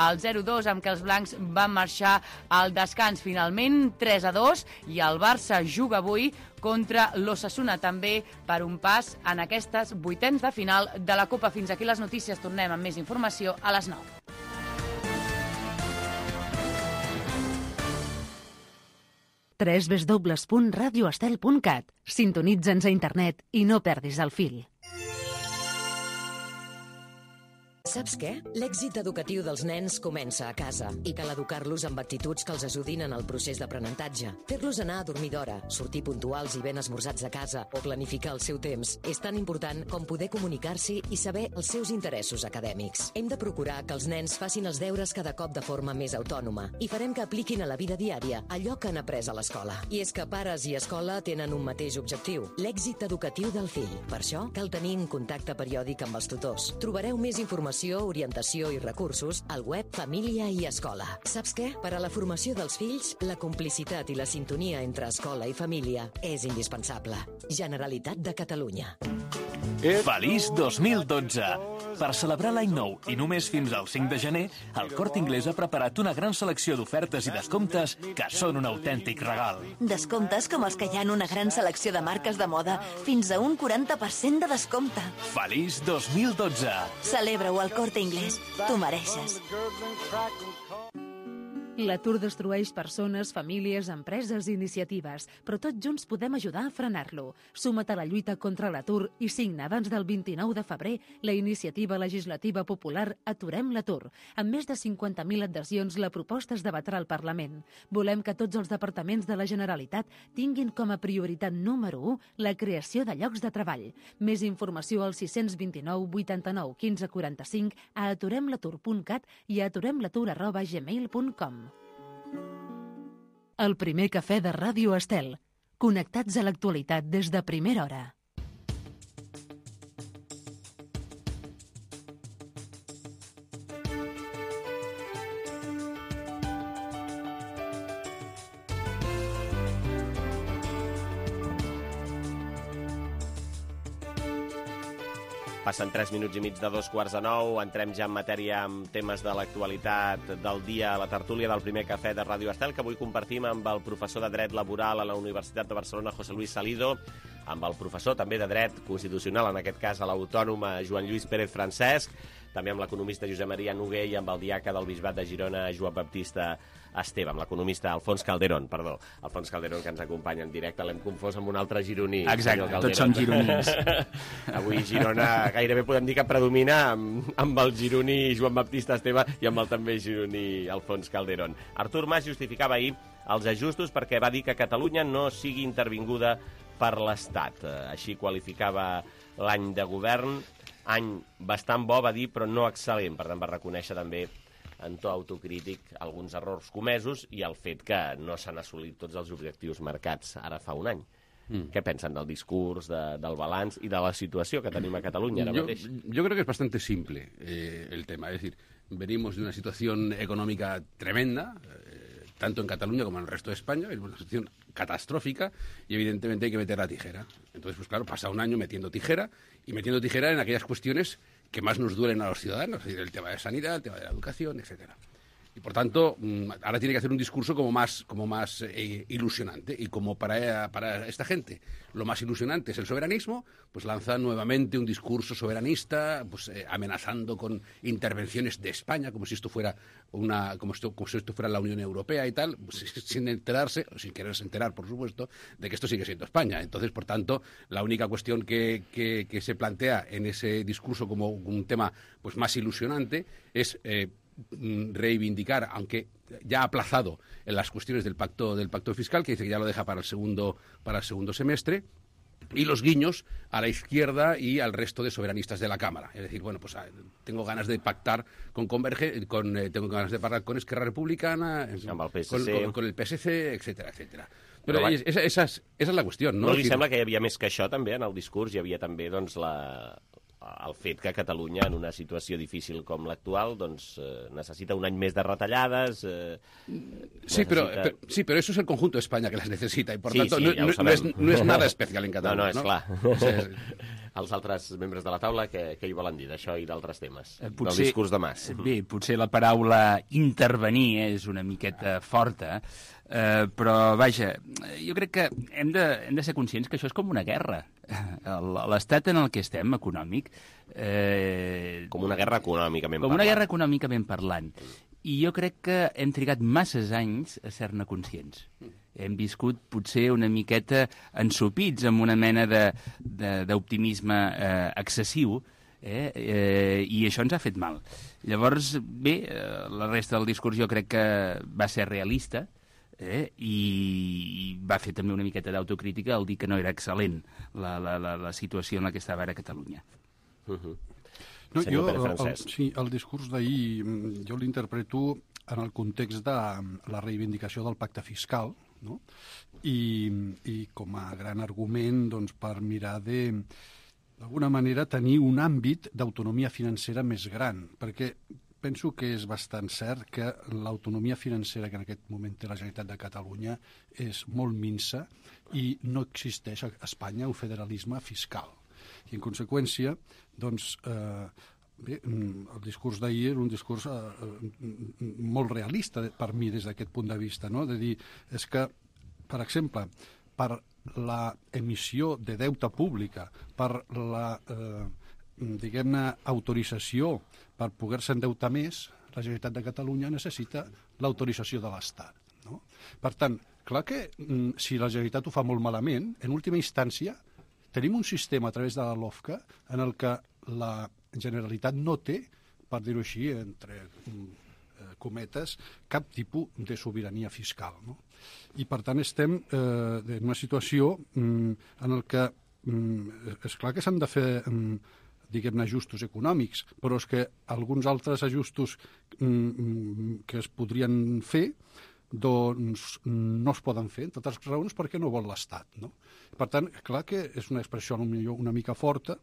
el zero dos amb què els blancs van marxar al descans. Finalment, tres a dos, i el Barça juga avui contra l'Osasuna també per un pas en aquestes vuitens de final de la Copa. Fins aquí les notícies. Tornem amb més informació a les nou. w w w punt radio estel punt cat. Sintonitza'ns a internet i no perdis el fil. Saps què? L'èxit educatiu dels nens comença a casa i cal educar-los amb actituds que els ajudin en el procés d'aprenentatge. Fer-los anar a dormir d'hora, sortir puntuals i ben esmorzats a casa o planificar el seu temps és tan important com poder comunicar-s'hi i saber els seus interessos acadèmics. Hem de procurar que els nens facin els deures cada cop de forma més autònoma i farem que apliquin a la vida diària allò que han après a l'escola. I és que pares i escola tenen un mateix objectiu, l'èxit educatiu del fill. Per això cal tenir un contacte periòdic amb els tutors. Trobareu més informació, orientació i recursos al web Família i Escola. Saps què? Per a la formació dels fills, la complicitat i la sintonia entre escola i família és indispensable. Generalitat de Catalunya. Feliç dos mil dotze! Per celebrar l'any nou i només fins al cinc de gener, el Corte Inglés ha preparat una gran selecció d'ofertes i descomptes que són un autèntic regal. Descomptes com els que hi ha en una gran selecció de marques de moda, fins a un quaranta per cent de descompte. Feliç dos mil dotze! Celebra-ho al Corte Inglés. Tu mereixes. L'atur destrueix persones, famílies, empreses i iniciatives, però tots junts podem ajudar a frenar-lo. Suma't a la lluita contra l'atur i signa abans del vint-i-nou de febrer la iniciativa legislativa popular Aturem l'atur. Amb més de cinquanta mil adhesions, la proposta es debatrà al Parlament. Volem que tots els departaments de la Generalitat tinguin com a prioritat número u la creació de llocs de treball. Més informació al sis dos nou, vuitanta-nou, quinze, quaranta-cinc, a aturem l'atur punt cat i a aturem l'atur arroba gmail punt com. El primer cafè de Ràdio Estel. Connectats a l'actualitat des de primera hora. Passen tres minuts i mig de dos quarts de nou. Entrem ja en matèria amb temes de l'actualitat del dia a la tertúlia del primer cafè de Ràdio Estel, que avui compartim amb el professor de Dret Laboral a la Universitat de Barcelona, José Luis Salido, amb el professor també de Dret Constitucional, en aquest cas a l'Autònoma, Joan Lluís Pérez Francesc, també amb l'economista Josep Maria Noguer i amb el diaca del Bisbat de Girona, Joan Baptista Esteve, amb l'economista Alfons Calderón, perdó, Alfons Calderón, que ens acompanya en directe. L'hem confós amb un altre gironí. Exacte, tots són gironins. Avui Girona gairebé podem dir que predomina amb, amb el gironí Joan Baptista Esteve i amb el també gironí Alfons Calderón. Artur Mas justificava ahir els ajustos perquè va dir que Catalunya no sigui intervinguda per l'Estat. Així qualificava l'any de govern, any bastant bo, va dir, però no excel·lent. Per tant, va reconèixer també en to autocrític alguns errors comesos i el fet que no s'han assolit tots els objectius marcats ara fa un any. Mm. ¿Qué pensan del discurs, de, del balanç y de la situació que tenim a Cataluña ara yo, mateix? Yo creo que es bastante simple eh, el tema. Es decir, venimos de una situación económica tremenda, eh, tanto en Cataluña como en el resto de España, es una situación catastrófica y evidentemente hay que meter la tijera. Entonces, pues claro, pasa un año metiendo tijera y metiendo tijera en aquellas cuestiones que más nos duelen a los ciudadanos, es decir, el tema de sanidad, el tema de la educación, etcétera. Y por tanto, ahora tiene que hacer un discurso como más, como más eh, ilusionante. Y como para, para esta gente lo más ilusionante es el soberanismo, pues lanza nuevamente un discurso soberanista, pues eh, amenazando con intervenciones de España, como si esto fuera una, como, esto, como si esto fuera la Unión Europea y tal, pues, sin enterarse, o sin quererse enterar, por supuesto, de que esto sigue siendo España. Entonces, por tanto, la única cuestión que, que, que se plantea en ese discurso como un tema pues más ilusionante es eh, reivindicar, aunque ya ha aplazado en las cuestiones del pacto del pacto fiscal, que dice que ya lo deja para el segundo para el segundo semestre, y los guiños a la izquierda y al resto de soberanistas de la Cámara. Es decir, bueno, pues tengo ganas de pactar con Converge, con eh, tengo ganas de pactar con Esquerra Republicana, amb el P S C. Con, con, con el P S C, etcétera, etcétera. Però, Però esa, esa, és, esa és la qüestió, no? No li sembla que hi havia més que això, també, en el discurs? Hi havia també, doncs, la... el fet que Catalunya, en una situació difícil com l'actual, doncs, eh, necessita un any més de retallades... Eh, sí, necessita... pero, pero, sí, pero eso es el conjunto de España que las necesita, y por sí, tanto sí, no, ja no, no, es, no es nada especial en Catalunya. No, no, és no? clar. Sí, sí. Els altres membres de la taula, què, què hi volen dir d'això i d'altres temes? Potser, del discurs de Mas. Bé, potser la paraula intervenir és una miqueta forta, eh, però, vaja, jo crec que hem de, hem de ser conscients que això és com una guerra. L'estat en el que estem, econòmic... Eh... Com una guerra econòmicament parlant. Com una guerra econòmicament parlant. I jo crec que hem trigat masses anys a ser-ne conscients. Hem viscut potser una miqueta ensopits amb una mena d'optimisme eh, excessiu, eh, eh, i això ens ha fet mal. Llavors, bé, eh, la resta del discurs jo crec que va ser realista, eh, i va fer també una miqueta d'autocrítica al dir que no era excel·lent la, la, la, la situació en la que estava ara Catalunya. Uh-huh. No, jo, el, sí, el discurs d'ahir jo l'interpreto en el context de la reivindicació del pacte fiscal, no? I, i com a gran argument doncs, per mirar de, d'alguna manera, tenir un àmbit d'autonomia financera més gran, perquè penso que és bastant cert que l'autonomia financera que en aquest moment té la Generalitat de Catalunya és molt minsa i no existeix a Espanya un federalisme fiscal. I, en conseqüència, doncs, eh, bé, el discurs d'ahir era un discurs eh, molt realista per mi des d'aquest punt de vista, no? De dir, és que, per exemple, per la emissió de deute pública, per la, eh, diguem-ne, autorització per poder-se endeutar més, la Generalitat de Catalunya necessita l'autorització de l'Estat, no? Per tant, clar que si la Generalitat ho fa molt malament, en última instància tenim un sistema a través de la LOFCA en el que la Generalitat no té, per dir-ho així, entre eh, cometes, cap tipus de sobirania fiscal, no? I, per tant, estem eh, en una situació mm, en el que mm, és clar que s'han de fer mm, diguem-ne, ajustos econòmics, però és que alguns altres ajustos mm, que es podrien fer doncs no es poden fer, entre altres raons perquè no vol l'Estat, no? Per tant, clar que és una expressió una mica forta,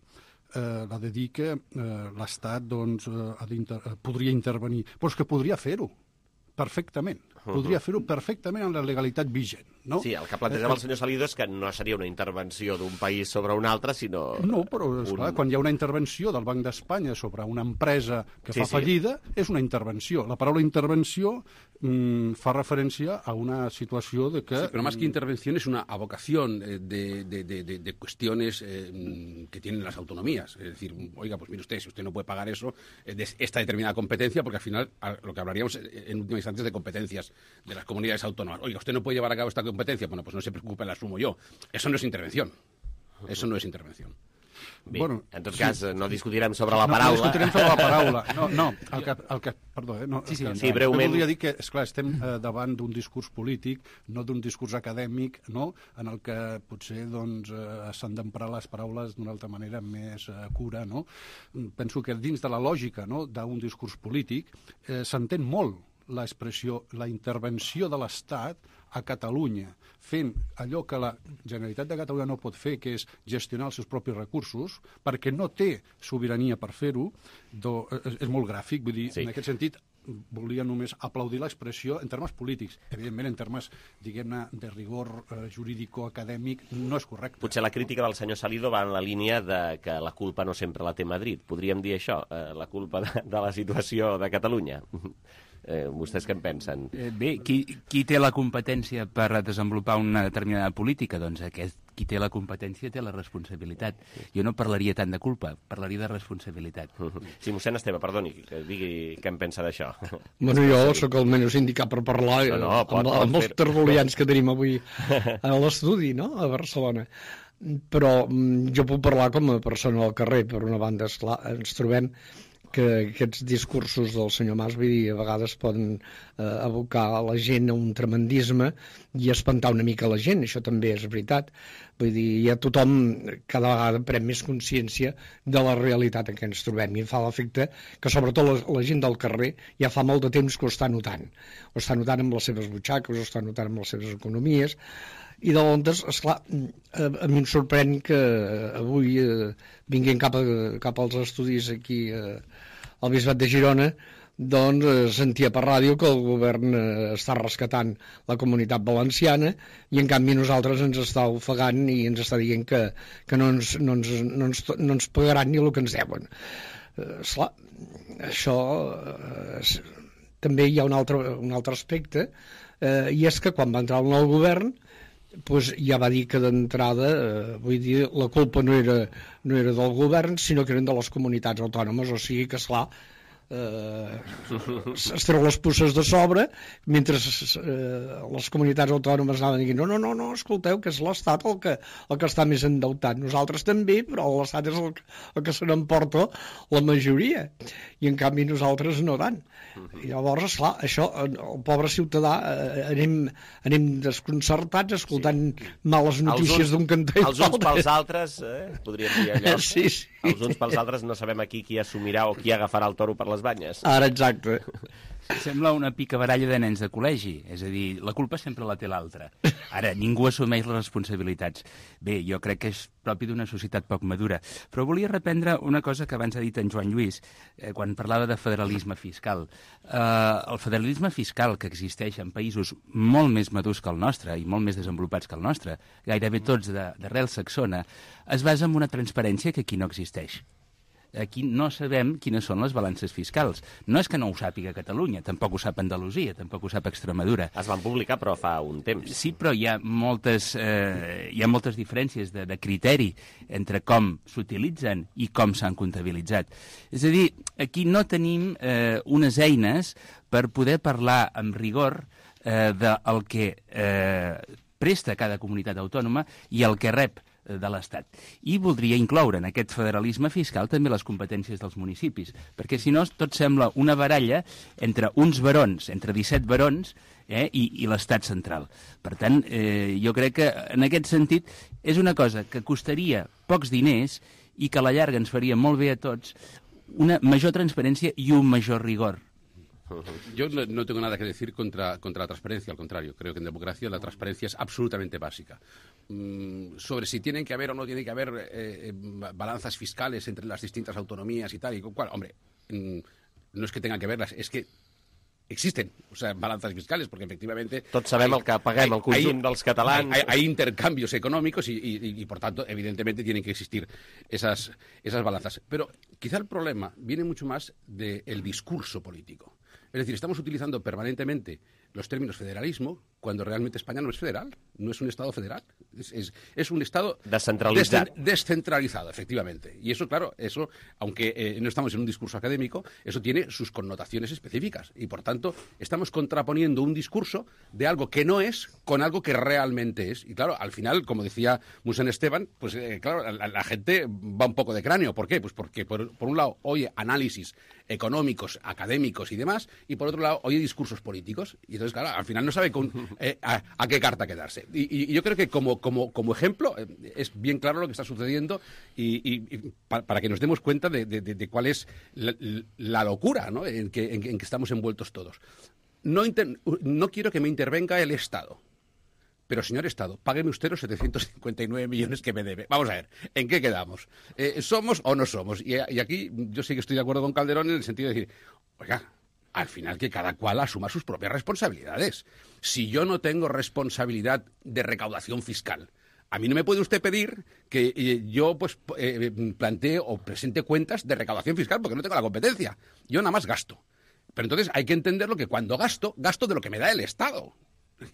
eh, la de dir que eh, l'Estat doncs, eh, ha d'inter podria intervenir, però és que podria fer-ho perfectament. Podria fer-ho perfectament amb la legalitat vigent, no? Sí, el que plantejava el senyor Salido és que no seria una intervenció d'un país sobre un altre, sinó... No, però, esclar, un... quan hi ha una intervenció del Banc d'Espanya sobre una empresa que sí, fa fallida, sí. És una intervenció. La paraula intervenció mm, fa referència a una situació de que... Sí, pero más que intervención es una avocación de, de, de, de, de cuestiones eh, que tienen las autonomías. Es decir, oiga, pues mire usted, si usted no puede pagar eso, eh, de esta determinada competencia, porque al final a, lo que hablaríamos en última instancia es de competencias de las comunidades autónomas. Oiga, usted no puede llevar a cabo esta competencia, bueno, pues no se preocupe, la asumo yo. Eso no es intervención. Eso no es intervención. Bé, bueno, en tot cas, sí. no discutirem sobre la no, paraula. No discutirem sobre la paraula. No, no, el que, el que, perdó, eh, no, sí, sí, el que, sí, breument. Jo voldria dir que, esclar, estem eh, davant d'un discurs polític, no d'un discurs acadèmic, no?, en el que potser doncs, eh, s'han d'emprar les paraules d'una altra manera més eh, cura, no? Penso que dins de la lògica, no?, d'un discurs polític eh, s'entén molt l'expressió, la intervenció de l'Estat a Catalunya, fent allò que la Generalitat de Catalunya no pot fer, que és gestionar els seus propis recursos, perquè no té sobirania per fer-ho, és, és molt gràfic, vull dir, sí. En aquest sentit, volia només aplaudir l'expressió en termes polítics. Evidentment, en termes, diguem-ne, de rigor eh, jurídico-acadèmic, no és correcte. Potser la crítica del senyor Salido va en la línia de que la culpa no sempre la té Madrid. Podríem dir això, eh, la culpa de, de la situació de Catalunya. Eh, vostès què en pensen? Eh, bé, qui, qui té la competència per desenvolupar una determinada política? Doncs aquest, qui té la competència té la responsabilitat. Jo no parlaria tant de culpa, parlaria de responsabilitat. Sí, mossèn Esteve, perdoni, que digui què en pensa d'això. Bueno, jo sóc el menys indicat per parlar no, no, pot, amb, pot amb els tertulians que tenim avui a l'estudi, no?, a Barcelona. Però jo puc parlar com a persona al carrer. Per una banda, esclar, ens trobem que aquests discursos del senyor Mas, vull dir, a vegades poden eh, abocar a la gent a un tremendisme i espantar una mica la gent, això també és veritat. Vull dir, ja tothom cada vegada pren més consciència de la realitat en què ens trobem, i em fa l'efecte que sobretot la, la gent del carrer ja fa molt de temps que ho està notant. Ho està notant amb les seves butxaques, ho està notant amb les seves economies, i de llavors, esclar, a, a mi em sorprèn que avui, eh, vinguent cap, a, cap als estudis aquí eh, al Bisbat de Girona, doncs eh, sentia per ràdio que el govern eh, està rescatant la comunitat valenciana i en canvi nosaltres ens està ofegant i ens està dient que, que no, ens, no, ens, no, ens, no ens pagaran ni el que ens deuen. Eh, esclar, això eh, també hi ha un altre, un altre aspecte, eh, i és que quan va entrar el nou govern pues ja va dir que d'entrada, eh, vull dir, la culpa no era, no era del govern, sinó que eren de les comunitats autònomes, o sigui que, esclar, eh, es treu les puces de sobre, mentre eh, les comunitats autònomes anaven dient no, no, no, no, escolteu, que és l'Estat el que, el que està més endeutat. Nosaltres també, però l'Estat és el, el que se n'emporta la majoria, i en canvi nosaltres no tant. I llavors, esclar, això, el pobre ciutadà, eh, anem, anem desconcertats escoltant males notícies d'un cantó i els uns pels altres, eh, podríem dir allò. Sí, sí. Els uns pels altres no sabem aquí qui assumirà o qui agafarà el toro per les banyes. Ara, exacte. Sembla una picabaralla de nens de col·legi, és a dir, la culpa sempre la té l'altre. Ara, ningú assumeix les responsabilitats. Bé, jo crec que és propi d'una societat poc madura. Però volia reprendre una cosa que abans ha dit en Joan Lluís, eh, quan parlava de federalisme fiscal. Eh, el federalisme fiscal que existeix en països molt més madurs que el nostre i molt més desenvolupats que el nostre, gairebé tots d'arrel saxona, es basa en una transparència que aquí no existeix. Aquí no sabem quines són les balances fiscals. No és que no ho sàpiga Catalunya, tampoc ho sap Andalusia, tampoc ho sap Extremadura. Es van publicar, però fa un temps. Sí, però hi ha moltes, eh, hi ha moltes diferències de, de criteri entre com s'utilitzen i com s'han comptabilitzat. És a dir, aquí no tenim eh, unes eines per poder parlar amb rigor eh, del que eh, presta cada comunitat autònoma i el que rep de l'Estat. I voldria incloure en aquest federalisme fiscal també les competències dels municipis, perquè si no tot sembla una baralla entre uns barons, entre disset barons, eh, i, i l'Estat central. Per tant, eh, jo crec que en aquest sentit és una cosa que costaria pocs diners i que a la llarga ens faria molt bé a tots una major transparència i un major rigor. Yo no, no tengo nada que decir contra, contra la transparencia, al contrario. Creo que en democracia la transparencia es absolutamente básica. Mm, sobre si tienen que haber o no tienen que haber eh, balanzas fiscales entre las distintas autonomías y tal y cual, hombre, mm, no es que tengan que verlas, es que existen, o sea, balanzas fiscales, porque efectivamente... Tots sabem hay, el que paguem, el conjunt hay, dels catalans... Hay, hay intercambios económicos y, y, y, por tanto, evidentemente, tienen que existir esas, esas balanzas. Pero quizá el problema viene mucho más del discurso político. Es decir, estamos utilizando permanentemente los términos federalismo cuando realmente España no es federal, no es un Estado federal, es, es, es un Estado descentralizado. descentralizado, efectivamente. Y eso, claro, eso, aunque eh, no estamos en un discurso académico, eso tiene sus connotaciones específicas. Y, por tanto, estamos contraponiendo un discurso de algo que no es con algo que realmente es. Y, claro, al final, como decía Mossèn Esteban, pues, eh, claro, la, la gente va un poco de cráneo. ¿Por qué? Pues porque, por, por un lado, oye análisis económicos, académicos y demás, y por otro lado, oye discursos políticos. Y entonces, claro, al final no sabe con, eh, a, a qué carta quedarse. Y, y yo creo que como, como, como ejemplo eh, es bien claro lo que está sucediendo y, y, y para, para que nos demos cuenta de, de, de cuál es la, la locura, ¿no?, en, que, en, en que estamos envueltos todos. No, inter, no quiero que me intervenga el Estado. Pero, señor Estado, págueme usted los setecientos cincuenta y nueve millones que me debe. Vamos a ver, ¿en qué quedamos? Eh, ¿Somos o no somos? Y, y aquí yo sí que estoy de acuerdo con Calderón en el sentido de decir, oiga, al final que cada cual asuma sus propias responsabilidades. Si yo no tengo responsabilidad de recaudación fiscal, a mí no me puede usted pedir que eh, yo pues eh, plantee o presente cuentas de recaudación fiscal porque no tengo la competencia. Yo nada más gasto. Pero entonces hay que entenderlo que cuando gasto, gasto de lo que me da el Estado.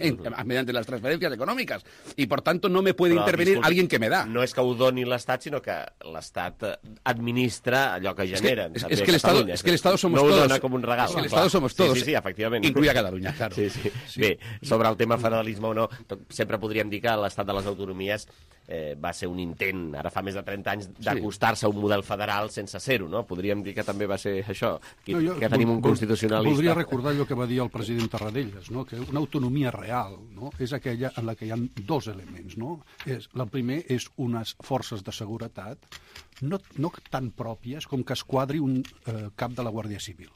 En, mediante las transferències econòmiques, i per tant no me puede Però, intervenir disculpi, alguien que me da. No és que ho doni l'Estat, sinó que l'Estat administra allò que generen. Es que, es, es que el Estado, es que el Estado somos no todos. No ho dona com un regal. Es que el Estado somos todos. Sí, sí, sí, efectivament. Incluye a Catalunya, claro. Sí, sí. Sí. Bé, sobre el tema federalisme o no, sempre podríem dir que l'Estat de les autonomies eh, va ser un intent, ara fa més de trenta anys, d'acostar-se a un model federal sense ser-ho, no? Podríem dir que també va ser això, que, no, jo, que tenim un constitucionalista. Voldria recordar allò que va dir el president Tarradellas, no? Que una autonomia real, no? És aquella en la que hi ha dos elements, no? És, el primer és unes forces de seguretat no, no tan pròpies com que es quadri un eh, cap de la Guàrdia Civil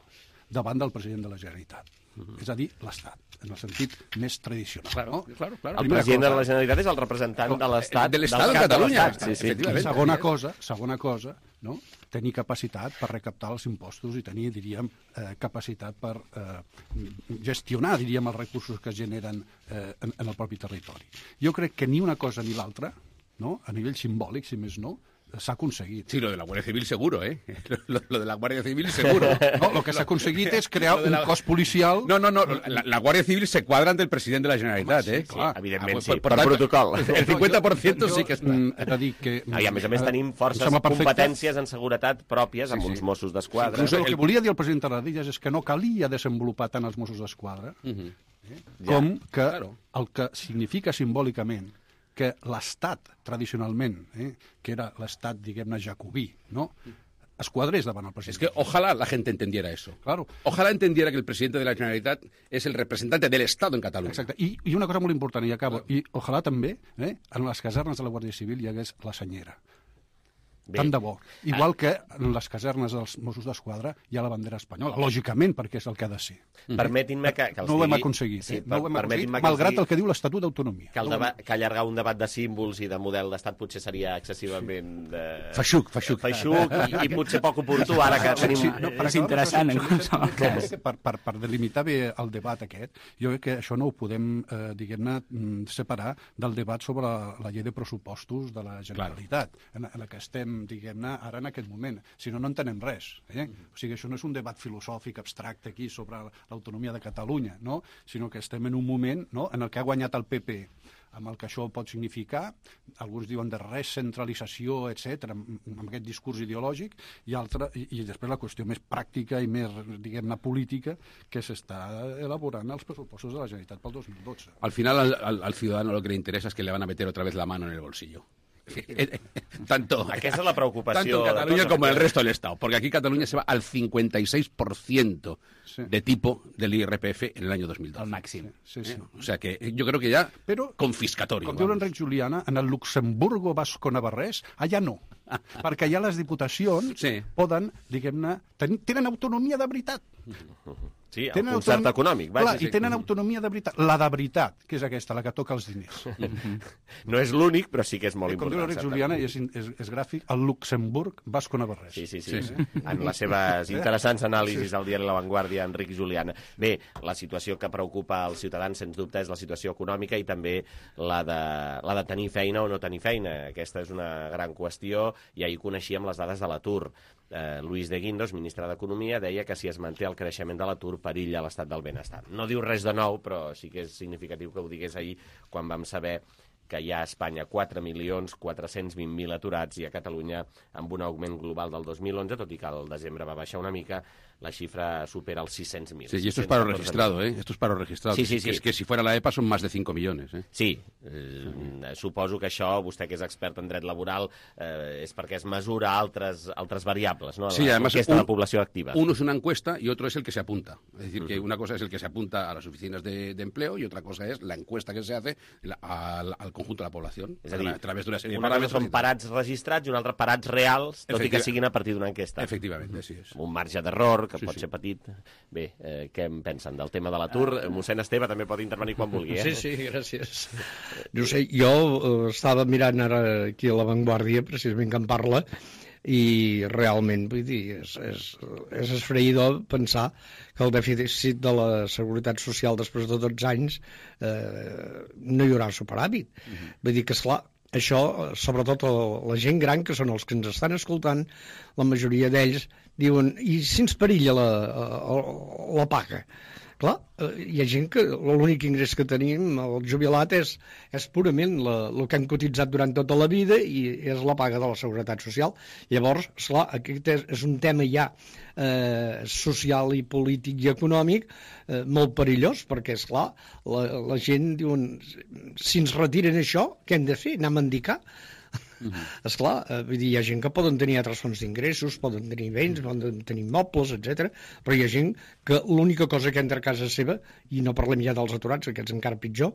davant del president de la Generalitat. Uh-huh. És a dir, l'Estat, en el sentit més tradicional. Claro, no? claro, claro. El Primera president cosa, de la Generalitat és el representant de l'Estat. De l'Estat de Catalunya. Sí, sí. Segona cosa, segona cosa, no? Tenir capacitat per recaptar els impostos i tenir, diríem, eh, capacitat per eh, gestionar, diríem, els recursos que es generen eh, en, en el propi territori. Jo crec que ni una cosa ni l'altra, no? A nivell simbòlic, si més no, s'ha aconseguit. Sí, lo de la Guàrdia Civil seguro, ¿eh? Lo, lo de la Guàrdia Civil seguro. No, lo que s'ha aconseguit és crear un la... cos policial... No, no, no, la, la Guàrdia Civil se cuadra ante el president de la Generalitat, sí, eh? Sí, clar. Evidentment, ah, sí, per, per protocol. El cinquanta per cent sí que està. He de dir que... Ah, I a més a més tenim forces competències en seguretat pròpies amb sí, sí. uns Mossos d'Esquadra. Inclús el que volia dir el president Tarradellas és que no calia desenvolupar tant els Mossos d'Esquadra uh -huh. eh? com ja, que claro. el que significa simbòlicament que l'Estat, tradicionalment, eh, que era l'Estat, diguem-ne, jacobí, no?, es quadrés davant el president. Es que ojalá la gente entendiera eso. Claro. Ojalá entendiera que el presidente de la Generalitat es el representante del Estado en Catalunya. Exacte. I, i una cosa molt important, i acabo, i ojalà també, eh, en les casernes de la Guàrdia Civil hi hagués la senyera. Bé. Tant de bo. Igual que en les casernes dels Mossos d'Esquadra hi ha la bandera espanyola, lògicament, perquè és el que ha de ser. Permetin-me que, que els no ho hem digui... aconseguit, sí, eh? no ho hem aconseguit, que malgrat digui... el que diu l'Estatut d'Autonomia. Que, el deba... que allargar un debat de símbols i de model d'estat potser seria excessivament... De... Feixuc, feixuc. Feixuc i, i potser poc oportú, ara que tenim... Sí, no, és interessant, en qualsevol cas. Per, per, per delimitar bé el debat aquest, jo crec que això no ho podem, eh, diguem-ne, separar del debat sobre la, la llei de pressupostos de la Generalitat, en, en la que estem, diguem-ne, ara en aquest moment. Si no, no entenem res. Eh? O sigui, això no és un debat filosòfic abstracte aquí sobre l'autonomia de Catalunya, no? Sinó que estem en un moment, no?, en el que ha guanyat el P P, amb el que això pot significar, alguns diuen de recentralització, etcètera, amb aquest discurs ideològic, i, altre, i, i després la qüestió més pràctica i més, diguem-ne, política, que s'està elaborant els pressupostos de la Generalitat pel dos mil dotze. Al final, al, al, al ciudadano lo que le interesa es que le van a meter otra vez la mano en el bolsillo. Tanto, Aquesta és la preocupació tanto en Cataluña como en el resto del Estado, porque aquí Cataluña se va al cincuenta y seis por ciento sí. de tipo del I R P F en el año dos mil doce. Al màxim. Sí, sí. ¿Eh? O sea que yo creo que ya Però, confiscatorio. Com diu l'Enric Juliana, en el Luxemburgo Basco-Navarrès, allà no, perquè allà les diputacions sí. poden, diguem-ne, ten, tenen autonomia de veritat. Sí, el tenen concert autonomia... econòmic. Vaja, Clar, sí. I tenen autonomia de veritat. La de veritat, que és aquesta, la que toca els diners. No és l'únic, però sí que és molt Com important. Com diu l'Enric Juliana, i és, és, és gràfic, el Luxemburg Basco-Navarrès. Sí, sí, sí. sí, sí. En les seves interessants anàlisis al diari La Vanguardia, Enric Juliana. Bé, la situació que preocupa als ciutadans, sens dubte, és la situació econòmica i també la de, la de tenir feina o no tenir feina. Aquesta és una gran qüestió i ahir coneixíem les dades de l'atur. Eh, Luis de Guindos, ministre d'Economia, deia que si es manté el creixement de l'atur perilla l'estat del benestar. No diu res de nou, però sí que és significatiu que ho digués ahir quan vam saber que hi ha a Espanya quatre milions quatre-cents vint mil aturats i a Catalunya, amb un augment global del dos mil onze, tot i que al desembre va baixar una mica, la xifra supera els sis-cents mil. Sí, y esto es paro registrado, ¿eh? Esto es paro registrado. Sí, sí, que, sí. Es que si fuera la E P A son más de cinco millones, ¿eh? Sí, eh, suposo que això, vostè que és expert en dret laboral, eh, és perquè es mesura altres, altres variables, ¿no? Sí, la además encuesta de la població activa. Uno es una encuesta y otro es el que se apunta. Es decir, uh-huh. que una cosa es el que se apunta a las oficinas de, de empleo y otra cosa es la encuesta que se hace la, al, al conjunto de la población. És a dir, a través d'una sèrie de una cosa són parats registrats i una altra parats reals, tot i que siguin a partir d'una enquesta. Efectivament, sí és. Un marge d'error, que sí, pot sí. ser petit. Bé, eh, què en pensen del tema de l'atur? Ah. Mossèn Esteve també pot intervenir quan vulgui, eh? Sí, sí, gràcies. No sé, jo eh, estava mirant ara aquí a La Vanguardia, precisament que en parla, i realment, vull dir, és, és, és esfreïdor pensar que el dèficit de la Seguretat Social després de dotze anys eh, no hi haurà superàvit. Uh-huh. Vull dir que, esclar, això, sobretot la gent gran, que són els que ens estan escoltant, la majoria d'ells diuen, i si ens perilla la, la, la paga? Clar, hi ha gent que l'únic ingrés que tenim, el jubilat, és, és purament la, el que hem cotitzat durant tota la vida i és la paga de la Seguretat Social. Llavors, esclar, aquest és, és un tema ja eh, social i polític i econòmic eh, molt perillós, perquè, esclar, la, la gent diuen, si ens retiren això, què hem de fer? Anar a mendicar? Uh-huh. Esclar, eh, vull dir, hi ha gent que poden tenir altres fonts d'ingressos, poden tenir béns, poden tenir mobles, etcètera, però hi ha gent que l'única cosa que entra a casa seva, i no parlem ja dels aturats, aquests encara pitjor,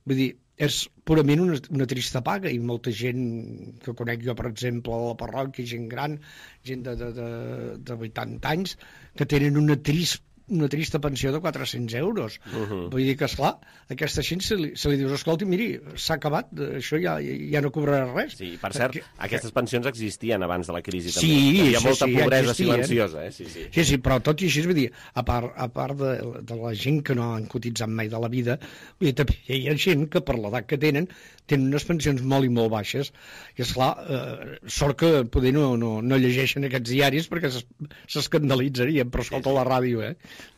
vull dir, és purament una, una trista paga, i molta gent que conec jo, per exemple, a la parròquia, gent gran, gent de, de, de, de vuitanta anys, que tenen una trist una trista pensió de quatre-cents euros. Uh-huh. Vull dir que, esclar, aquesta gent se li, se li dius, escolti, miri, s'ha acabat, això ja, ja no cobrarà res. Sí, per cert, que, aquestes pensions existien abans de la crisi, sí, també. Hi havia sí, molta sí, pobresa existien. silenciosa, eh? Sí, sí. Sí, sí, però tot i així, vull dir, a part, a part de, de la gent que no han cotitzat mai de la vida, vull dir, també hi ha gent que per l'edat que tenen, tenen unes pensions molt i molt baixes, i esclar, eh, sort que poder no, no, no llegeixen aquests diaris perquè s'escandalitzarien, però escolta la ràdio, eh?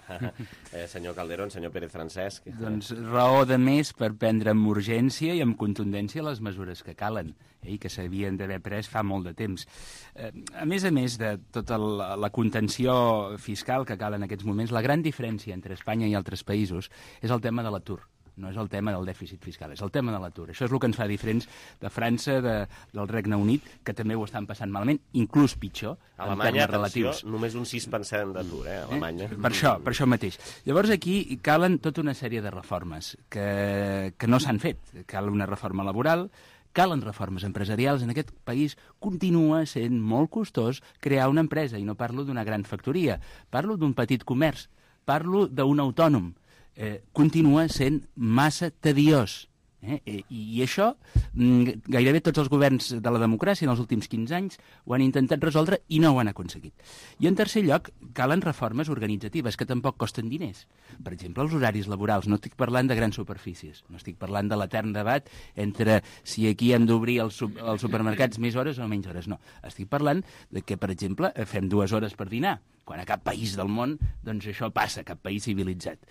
eh, senyor Calderón, senyor Pérez Francesc. Doncs raó de més per prendre amb urgència i amb contundència les mesures que calen eh, i que s'havien d'haver pres fa molt de temps. Eh, a més a més de tota la, la contenció fiscal que cal en aquests moments, la gran diferència entre Espanya i altres països és el tema de l'atur. No és el tema del dèficit fiscal, és el tema de l'atur. Això és el que ens fa diferents de França, de, del Regne Unit, que també ho estan passant malament, inclús pitjor, a Alemanya, en termes relatius. Només un sis per cent d'atur, eh, a Alemanya. Eh? Per això, per això mateix. Llavors aquí calen tota una sèrie de reformes que, que no s'han fet. Cal una reforma laboral, calen reformes empresarials. En aquest país continua sent molt costós crear una empresa, i no parlo d'una gran factoria, parlo d'un petit comerç, parlo d'un autònom. Eh, continua sent massa tediós. Eh? I, I això, gairebé tots els governs de la democràcia en els últims quinze anys ho han intentat resoldre i no ho han aconseguit. I en tercer lloc, calen reformes organitzatives que tampoc costen diners. Per exemple, els horaris laborals. No estic parlant de grans superfícies, no estic parlant de l'etern debat entre si aquí hem d'obrir els, els supermercats més hores o menys hores. No, estic parlant de que, per exemple, fem dues hores per dinar, quan a cap país del món doncs això passa, cap país civilitzat.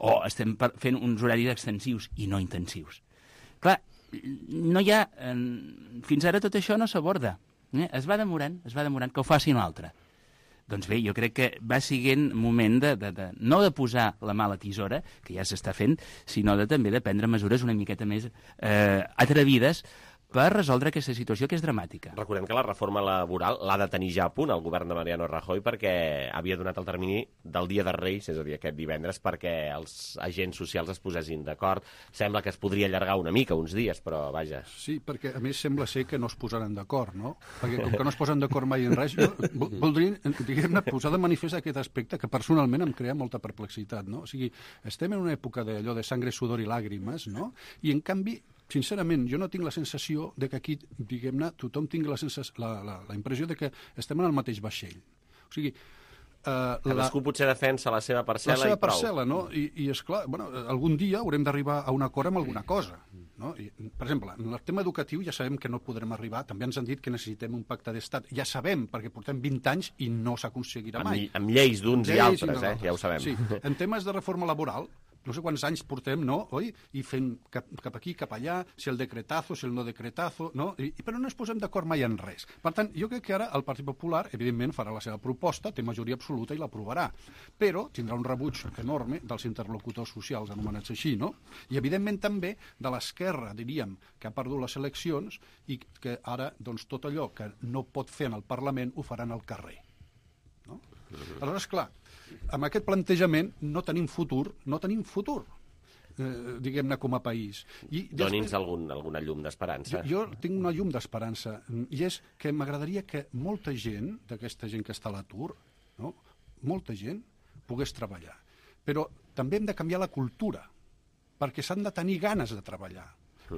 O estem fent uns horaris extensius i no intensius. Clar, no hi ha... Fins ara tot això no s'aborda. Eh? Es va demorant, es va demorant que ho faci un altre. Doncs bé, jo crec que va siguent moment de, de, de no de posar la mà a la tisora, que ja s'està fent, sinó de també de prendre mesures una miqueta més eh, atrevides per resoldre aquesta situació que és dramàtica. Recordem que la reforma laboral l'ha de tenir ja a punt el govern de Mariano Rajoy, perquè havia donat el termini del Dia de Reis, és a dir, aquest divendres, perquè els agents socials es posessin d'acord. Sembla que es podria allargar una mica, uns dies, però vaja. Sí, perquè a més sembla ser que no es posaran d'acord, no? Perquè com que no es posen d'acord mai en res, jo voldria, diguem-ne, posar de manifest aquest aspecte que personalment em crea molta perplexitat, no? O sigui, estem en una època d'allò de sangre, sudor i làgrimes, no? I en canvi, sincerament, jo no tinc la sensació de que aquí, diguem-ne, tothom tingui la, la, la, la impressió de que estem en el mateix vaixell. O sigui, Uh, Cadascú la... potser defensa la seva parcel·la la seva i prou. Parcel·la, no? I, i esclar, bueno, algun dia haurem d'arribar a un acord amb alguna cosa. No? I, per exemple, en el tema educatiu ja sabem que no podrem arribar. També ens han dit que necessitem un pacte d'estat. Ja sabem, perquè portem vint anys i no s'aconseguirà mai. Amb, amb lleis d'uns i altres, eh? Ja ho sabem. Sí. En temes de reforma laboral, no sé quants anys portem, no? Oi? I fent cap, cap aquí, cap allà, si el decretazo, si el no decretazo, no? I, però no ens posem d'acord mai en res. Per tant, jo crec que ara el Partit Popular, evidentment, farà la seva proposta, té majoria absoluta i l'aprovarà, però tindrà un rebuig enorme dels interlocutors socials anomenats així, no? I, evidentment, també de l'esquerra, diríem, que ha perdut les eleccions i que ara, doncs, tot allò que no pot fer en el Parlament ho faran al carrer. No? Aleshores, clar, amb aquest plantejament no tenim futur, no tenim futur, eh, diguem-ne, com a país. I Doni'ns algun, alguna llum d'esperança. Jo, jo tinc una llum d'esperança, i és que m'agradaria que molta gent, d'aquesta gent que està a l'atur, no? Molta gent, pogués treballar. Però també hem de canviar la cultura, perquè s'han de tenir ganes de treballar.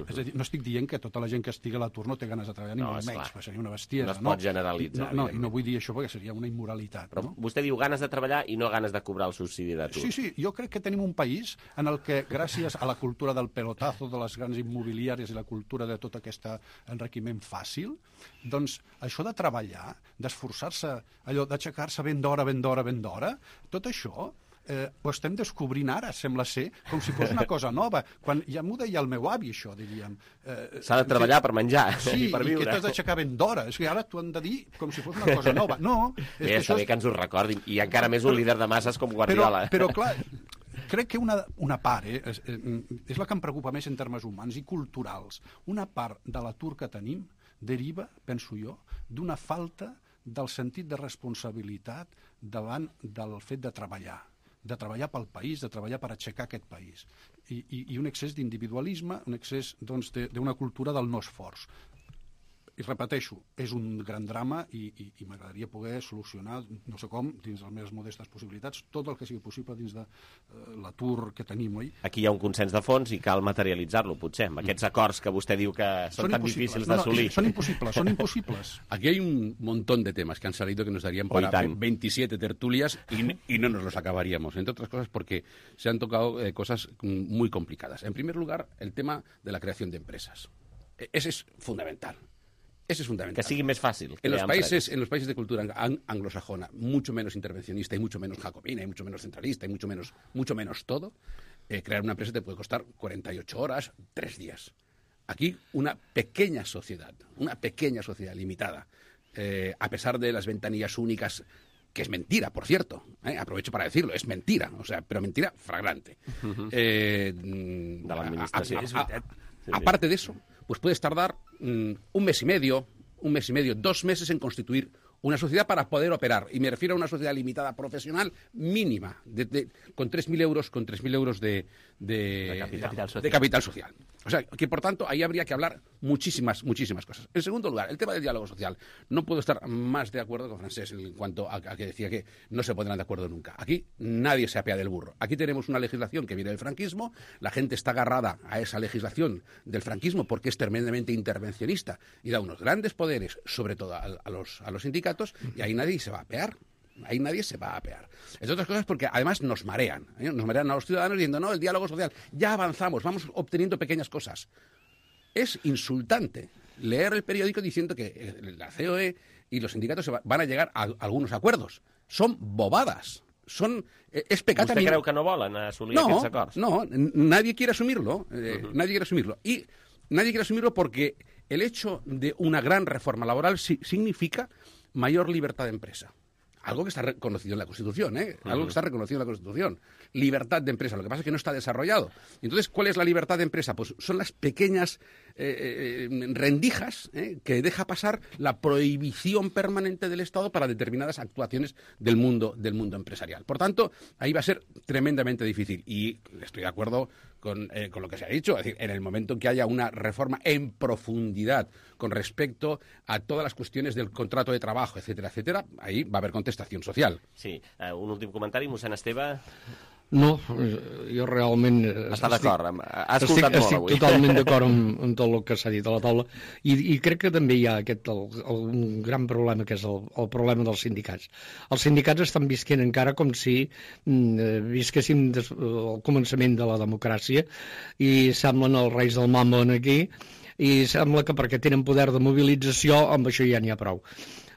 És a dir, no estic dient que tota la gent que estigui a l'atur no té ganes de treballar, ni No, molt esclar. menys, perquè seria una bestiesa. No es pot generalitzar, No, no, i evidentment. no vull dir això perquè seria una immoralitat. Però no? vostè diu ganes de treballar i no ganes de cobrar el subsidi d'atur. Sí, sí, jo crec que tenim un país en el que, gràcies a la cultura del pelotazo, de les grans immobiliàries i la cultura de tot aquest enriquiment fàcil, doncs això de treballar, d'esforçar-se, allò d'aixecar-se ben d'hora, ben d'hora, ben d'hora, tot això eh, ho estem descobrint ara, sembla ser, com si fos una cosa nova. Quan ja m'ho deia el meu avi, això, diríem. Eh, S'ha de treballar per menjar sí, i per viure. Sí, i que t'has d'aixecar ben d'hora. És que ara t'ho han de dir com si fos una cosa nova. No, és Bé, que està això bé que ens ho recordin. I encara més un líder de masses com Guardiola. Però, però clar, crec que una, una part, eh, és, és la que em preocupa més en termes humans i culturals, una part de l'atur que tenim deriva, penso jo, d'una falta del sentit de responsabilitat davant del fet de treballar de treballar pel país, de treballar per aixecar aquest país. I, i, i un excés d'individualisme, un excés doncs, d'una cultura del no esforç. I repeteixo, és un gran drama i, i, i m'agradaria poder solucionar, no sé com, dins les meves modestes possibilitats, tot el que sigui possible dins de uh, l'atur que tenim, oi? Aquí hi ha un consens de fons i cal materialitzar-lo, potser, amb aquests acords que vostè diu que són, són tan difícils no, d'assolir. No, son imposibles, son imposibles. Aquí hay un montón de temas que han salido que nos darían para veintisiete tertulias y, y no nos los acabaríamos, entre otras cosas porque se han tocado eh, cosas muy complicadas. En primer lugar, el tema de la creación de empresas. Ese es fundamental. Ese es fundamental. Que sigui més fàcil. En los países, en los países de cultura ang anglosajona, mucho menos intervencionista y mucho menos jacobina y mucho menos centralista y mucho menos, mucho menos todo, eh, crear una empresa te puede costar cuarenta y ocho horas, tres días. Aquí una pequeña sociedad, una pequeña sociedad limitada, eh, a pesar de las ventanillas únicas, que es mentira, por cierto, ¿eh? Aprovecho para decirlo, es mentira, o sea, pero mentira flagrante. Uh-huh. eh, de la administración. A, a, a, a, sí, aparte de eso, pues puedes tardar mm, un mes y medio, un mes y medio, dos meses en constituir una sociedad para poder operar. Y me refiero a una sociedad limitada profesional mínima, de, de, con tres mil euros, con tres mil euros de, de, de, capital de capital social. O sea, que por tanto ahí habría que hablar muchísimas, muchísimas cosas. En segundo lugar, el tema del diálogo social. No puedo estar más de acuerdo con Francés en cuanto a, a que decía que no se pondrán de acuerdo nunca. Aquí nadie se apea del burro. Aquí tenemos una legislación que viene del franquismo, la gente está agarrada a esa legislación del franquismo porque es tremendamente intervencionista y da unos grandes poderes, sobre todo a, a, los, a los sindicatos, y ahí nadie se va a apear. Ahí nadie se va a apear. Entre otras cosas porque además nos marean. ¿eh? Nos marean a los ciudadanos diciendo, no, el diálogo social, ya avanzamos, vamos obteniendo pequeñas cosas. Es insultante leer el periódico diciendo que la C O E y los sindicatos se va, van a llegar a, a algunos acuerdos. Son bobadas. Son, eh, es pecata. ¿Usted creu que no volen assolir no, aquests acords? No, nadie quiere asumirlo. Eh, uh-huh. Nadie quiere asumirlo. Y nadie quiere asumirlo porque el hecho de una gran reforma laboral si, significa mayor libertad de empresa. Algo que está reconocido en la Constitución, ¿eh? Algo uh-huh. que está reconocido en la Constitución. Libertad de empresa. Lo que pasa es que no está desarrollado. Entonces, ¿cuál es la libertad de empresa? Pues son las pequeñas eh, eh, rendijas ¿eh? que deja pasar la prohibición permanente del Estado para determinadas actuaciones del mundo, del mundo empresarial. Por tanto, ahí va a ser tremendamente difícil. Y estoy de acuerdo con, eh, con lo que se ha dicho. Es decir, en el momento en que haya una reforma en profundidad con respecto a todas las cuestiones del contrato de trabajo, etcétera, etcétera, ahí va a haber contestació social. Sí, uh, un últim comentari, mossèn Esteve. No, jo realment... Està d'acord, ha escoltat estic, molt estic avui. Estic totalment d'acord amb, amb tot el que s'ha dit a la taula i, i crec que també hi ha aquest, el, el, un gran problema que és el, el problema dels sindicats. Els sindicats estan visquent encara com si mm, visquéssim des, al començament de la democràcia i semblen els reis del mambo aquí i sembla que perquè tenen poder de mobilització amb això ja n'hi ha prou.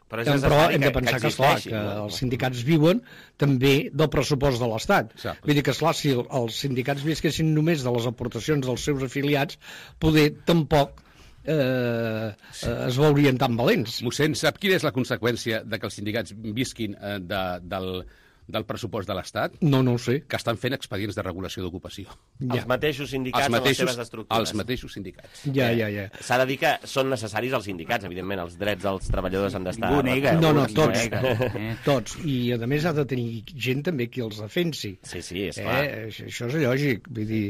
Però, és però hem de pensar que, que, esclar, que no? els sindicats viuen també del pressupost de l'Estat. Vull dir que, esclar, si els sindicats visquessin només de les aportacions dels seus afiliats, poder tampoc eh, eh, es veurien tan valents. Mossèn, sap quina és la conseqüència de que els sindicats visquin eh, de, del... del pressupost de l'Estat? No, no ho sé. Que estan fent expedients de regulació d'ocupació. Ja. Els mateixos sindicats els mateixos, a les seves estructures. Els mateixos sindicats. Ja, ja, ja. S'ha de dir que són necessaris els sindicats, evidentment, els drets dels treballadors han d'estar... Nega, no, no, tots, eh? tots. I, a més, ha de tenir gent també qui els defensi. Sí, sí, és clar. Eh? Això és lògic. Vull dir,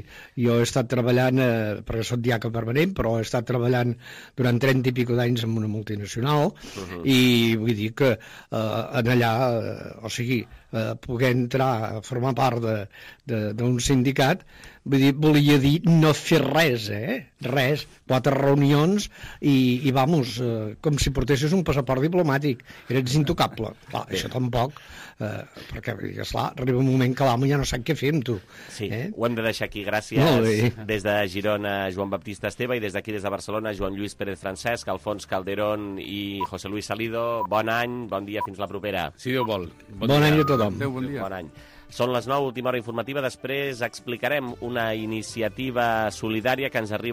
jo he estat treballant, eh, perquè soc diaca permanent, però he estat treballant durant trenta i pico d'anys en una multinacional, uh-huh. i vull dir que eh, en allà, eh, o sigui, eh, poder entrar a formar part d'un sindicat, vull dir, volia dir no fer res, eh? Res. Quatre reunions i, i vamos, eh, com si portessis un passaport diplomàtic. Eres intocable. Clar, això tampoc, eh, perquè, esclar, arriba un moment que l'amo ja no sap què fer amb tu. Sí, eh? ho hem de deixar aquí. Gràcies. Des de Girona, Joan Baptista Esteve, i des d'aquí, des de Barcelona, Joan Lluís Pérez Francesc, Alfons Calderón i José Luis Salido. Bon any, bon dia, fins la propera. Si Déu vol. Bon, bon any a tothom. Adéu, bon dia. Bon any. Són les nou, última hora informativa. Després explicarem una iniciativa solidària que ens arriba